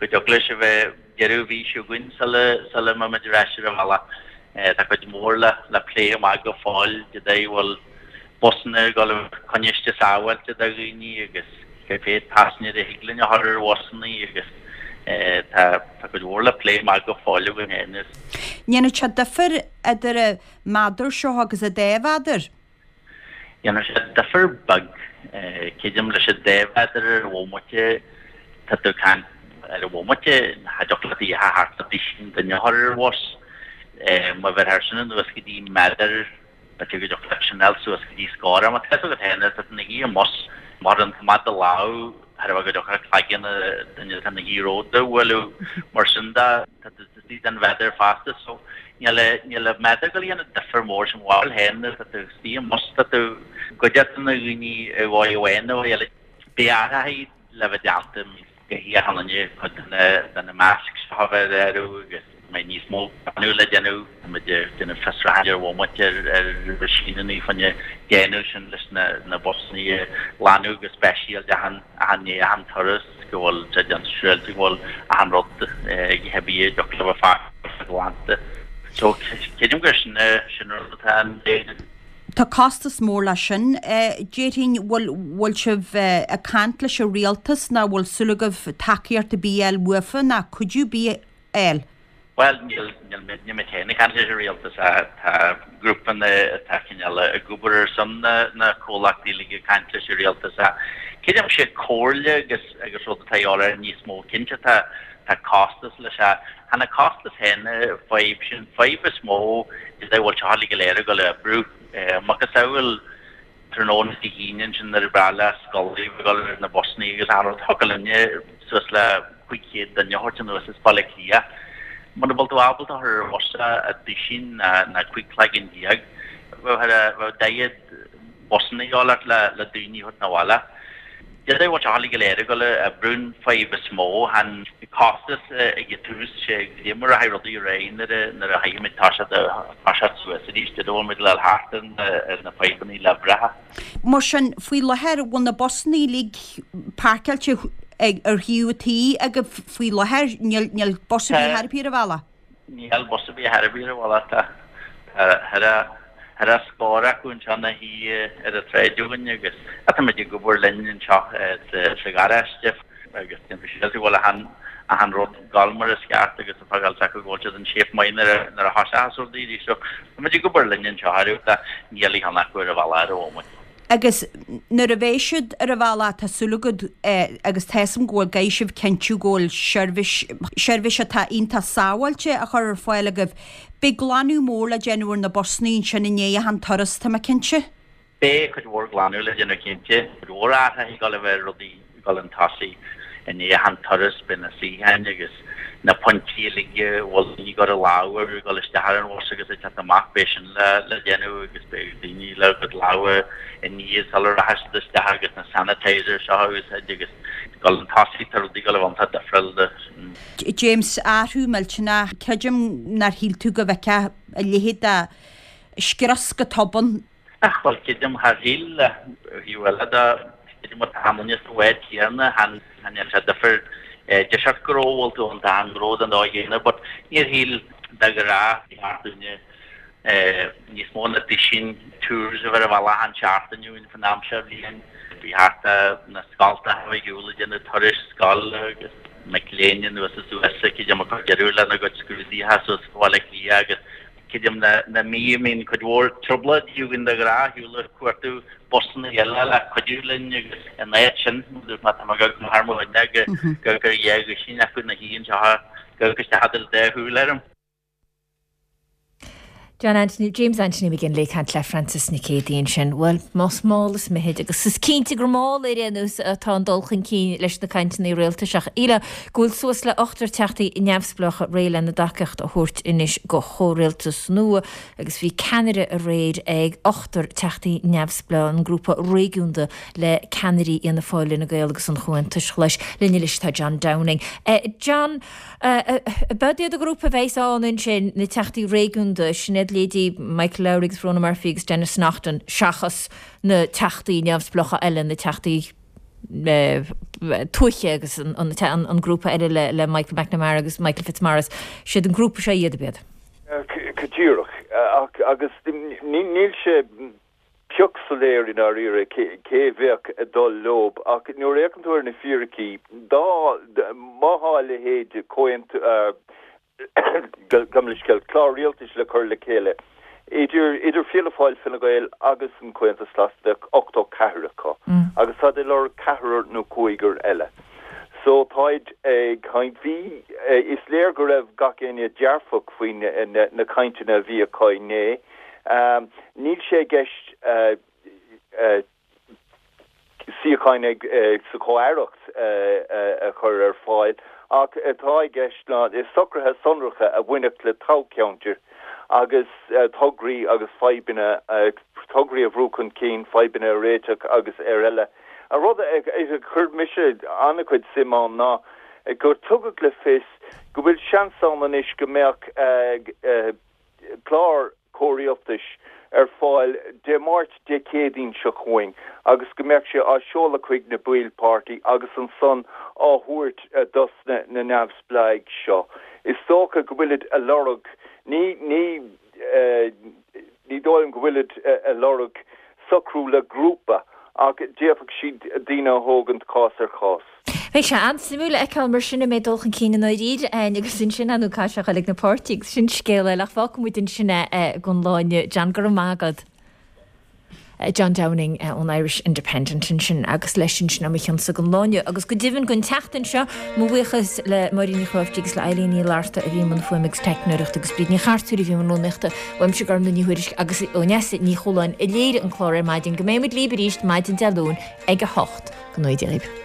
go dtiocfadh leis a bheith deireadh mhí seo chugainn sula sula mbeidh muid ar ais ar an bhealach. Tá cuid mhór le le plé amach go fóill, cad é a bhfuil busanna ag dul a bheith coinniste sábháilte do dhaoine agus cé mhéad paisinéir a thig linn a chur ar bhusanna agus tá tá cuid mhór le plé amach go fóill againn féin. Ndéanfaidh sé difear idir an méadar seo agus an dá mhéadar? Dhéanfadh sé difear beag. Creidim leis an dá mhéadar ar an bhomaite, tá tú ag caint ar an bhomaite, cha dtiocfadh leat a dhath thart le duisín duine a chur ar bhus. Má bheirthear sin anuas go dtí méadar, b'fhéidir go dtiocfadh leat sin a fháil suas go dtí scór. Ach má tá fhios agat féin, tá tú ina shuí i mbus, má chuireann tú amach do lámh, thairbhe go dtiocfadh cloigeann an duine atá ina shuí romhat a bhualadh. Mar sin de, tá tú istigh den mhéadar fosta so níl níl an méadar ag dul a dhéanamh difear mór sin bhfuil féin nuair atá tú istigh i mbus tá tú i gcuideachta na dhaoine i dhóigh amháin nó eile. Beidh athraithe le bheith déanta go híocháin cuid de na de na masks seo a bheith ar áireamh agus mbeidh níos mó glanadh le déanamh. Tá muid ag déanamh fiosrúcháin ar bhomaite ar ar mheaisíneanna fá choinne déanamh sin leis na na busanna a ghlanadh go speisialta achan achan ndiaidh achan turas. go bhfuil sé déanta siúráilte go bhfuil achan rud ag a bith a dtiocfadh le bheith fágtha glanta. So creidim gur sin sin rud atá an Tá costas mór leis sin. Déarfainn, bhfuil bhfuil sibh ag caint leis an rialtas nó bhfuil súil agaibh tacaíocht ar bith a fháil uafa nó cuidiú ar bith a fháil? Bhuel, níl, níl muid, níl muid féin ag caint leis an rialtas ach tá grúpanna atá cineál ag obair ar son na, na comhlachtaí uilig ag caint leis an rialtas ach creidim sé comhairle agus, agus rud atá a dhíobháil air níos mó. Cinnte tá, tá costas leis ach chan an costas féin an fadhb, sin fadhb is mó is é bhfuil seo uilig go léir ag dul a oibriú. Macasamhail tráthnóna Dé hAoine ansin nuair a ba bhreá le scoláirí a bheith ag dul ar na busanna agus achan rud, thiocfadh linne suas le 500 duine a thabhairt anuas as Baile Átha Cliath. Muna bhfuil tú ábalta a chur ar bhus a duisín ná 15 cloigeann, bheadh 40 busanna a dhíobháil ort le daoine a thabhairt 'na bhaile. D'fhéadfadh bhfuil seo uilig go léir ag dul a oibriú an fadhb is mó, chan costas ag an tús, sé goidé mar a rachaidh rudaí ar aghaidh nuair a nuair a chaithfidh muid toiseacht toiseacht suas arís, d'fhéadfadh bhfuil muid le thart ar na ar na fadhbanna le bhreithe. Mar sin, faoi láthair, bhfuil na busanna uilig páirceáilte ag ar thaobh an tí agaibh faoi láthair? Níl níl bus ar bith thar ar bith ar an bhealach? Níl bus ar bith thar ar bith ar an bhealach. Tá thar a scór acu anseo ina shuí ar an tsráid againn agus táimid ag obair linn anseo sa gharáiste agus déantar síos go bhfuil achan achan rud ag dul mar is ceart agus ag fágáil acu go bhfuil siad in shape maith nuair a nuair a thoiseochas rudaí arís. So táimid ag obair linn anseo ar níl aon cheann acu ar an bhealach ar an bhomaite. Agus nuair a bheidh siad ar an bhealach, tá súil agat, agus tá 'fhios a'm go bhfuil, go gcaithfidh sibh cinntiú go bhfuil seirbhís, seirbhís atá iontach sábháilte á chur ar fáil agaibh. Beidh glanadh mór le déanamh ar na busanna ansin i ndiaidh achan turas, tá mé cinnte. Beidh cuid mhór glanadh le déanamh cinnte. Cuid mhór athraithe ag dul a bheith ar rudaí ag dul chun tosaigh i ndiaidh achan turas, beidh na suíocháin agus na pointí uilig a bhfuil daoine ag cur a lámh orthu ag dul isteach ar an bhus agus ag teacht amach, beidh sin le le déanamh agus beidh daoine le a gcuid lámha a ní sula rachaidh siad isteach agus na sanitizers seo a úsáid agus ag dul chun tosaigh, tá rudaí ag dul a bheith iontach difriúil de. James, athrú millteanach, creidim nár shíl tú go bhfeicfeá a leithéid de scrios go tobann. Ach, bhuel, creidim thar shíl, ó thaobh eile de, creidim tá achan duine sa bhád céanna, chan dhéanann sé difear deis ort go raibh, bhfuil tú an dá ngnó den dóigh chéanna, but níor shíl de ghnáth, ba cheart dúinne níos mó ná duisín tours a bheith ar an bhealach achan seachtain uainn faoin am seo bhliain. Bhí thart na scoltacha ar shiúl ag déanamh turais scoile agus mic léinn anuas is suas, creidim ag cur deireadh lena gcuid scrúduithe suas go Baile Átha Cliath agus. Creidim na mí a mbíonn cuid mhór trioblóidí againn de ghnáth ar shiúl ag cuartú busanna eile le cuidiú linn agus in áit sin má tá mé go thar mo dhuine go gur dhá dhuisín acu ina shuí anseo go isteach idir dá shúil orm. John Anthony, James Anthony McGinley ag caint le Frances Nic Géadaigh ansin. Bhuel, más mall is mithid, agus is cinnte gur mall ar aon nós atá an dul chun cinn leis na cainteanna rialtais ach shílfeá go bhfuil suas le ochtar teachtaí neamhspleácha réidh lena dtacaíocht a thabhairt anois go chomhrialtas nua agus bhí ceannaire aréir ag ochtar teachtaí neamhspleách, an grúpa réigiúnda le ceannairí Fhianna Fáil, Fhine Gael agus an Chomhaontais Ghlais. Linn anois tá John Downing. John, Ab iad an grúpa a bheas ann ansin, na teachtaí réigiúnda, sin iad leithéidí Michael Lowry agus Verona Murphy agus Denis Naughten, seachas na teachtaí neamhspleácha eile, na teachtaí tuaithe agus an grúpa eile le Michael McNamara agus Michael Fitzmaurice. Siad an grúpa seo iad, ab iad? Go díreach. Agus níl sé pioc soiléir i ndáiríre cé a bheadh ag dul leob ach nuair a fhéachann tú ar na fíricí, dá, má thá a leithéid de chomhaontú, gabh mo leithscéal, clár rialtais le cur le chéile idir, idir Fianna Fáil, Fine Gael agus an Comhaontas Glas, bheadh 84 acu agus táid ag lorg ceathrar nó cúigear eile. So táid ag caint, bhí, is léir go raibh gach éinne dearfach faoi na cainteanna a bhí acu inné. Níl sé i gceist suíocháin sa chomh-aireacht a chur ar fáil ach atá i gceist ná socruithe sonracha a bhainfeadh le toghcheantair agus tograí agus fadhbanna, tograí a bhrú chun cinn, fadhbanna a réiteach agus ar eile. An rud a chuir mise an-chuid suim ann ná gur tugadh le fios go bhfuil seans ann anois go mbeadh clár comhrialtais ar fáil Dé Máirt, Dé Céadaoin seo chugainn agus go mbeadh sé á seoladh chuig na baill páirtí agus ansan á thabhairt dos na neamhspleáigh seo. Is dócha go bhfuilid a lorg, ní, ní, ní dóigh liom go bhfuilid a lorg socrú le grúpa ach d'fhéadfadh siad daoine a thógaint cás ar chás. Beidh sé an-suimiúil a fheiceáil mar sin an mbeidh dul chun cinn i ndáiríre ann agus ansin ar ndóigh caithfidh sé a ghoil ag na páirtithe agus sin scéal eile ach fágfaidh muid ansin é don lá inniu. John, go raibh maith agat. John Downing ón Irish Independent ansin agus leis sin sin é mo chionsa don lá inniu agus go deimhin don tseachtain seo mo bhuíochas le Máirín Ní Chráiftigh agus le Eileen Ní Fhlatharta a bhí i mbun fuaime agus teicneoireachta agus Bríd Ní Chartúir a bhí i mbun rúnaíochta. Uaimse Gormlaith Ní Thuairisg agus ó Neasa Ní Chualáin a léirigh an clár ar maidin. Go mbeidh muid libh arís maidin Dé Luain ag 8. Go ngnóthaí Dia dhaoibh.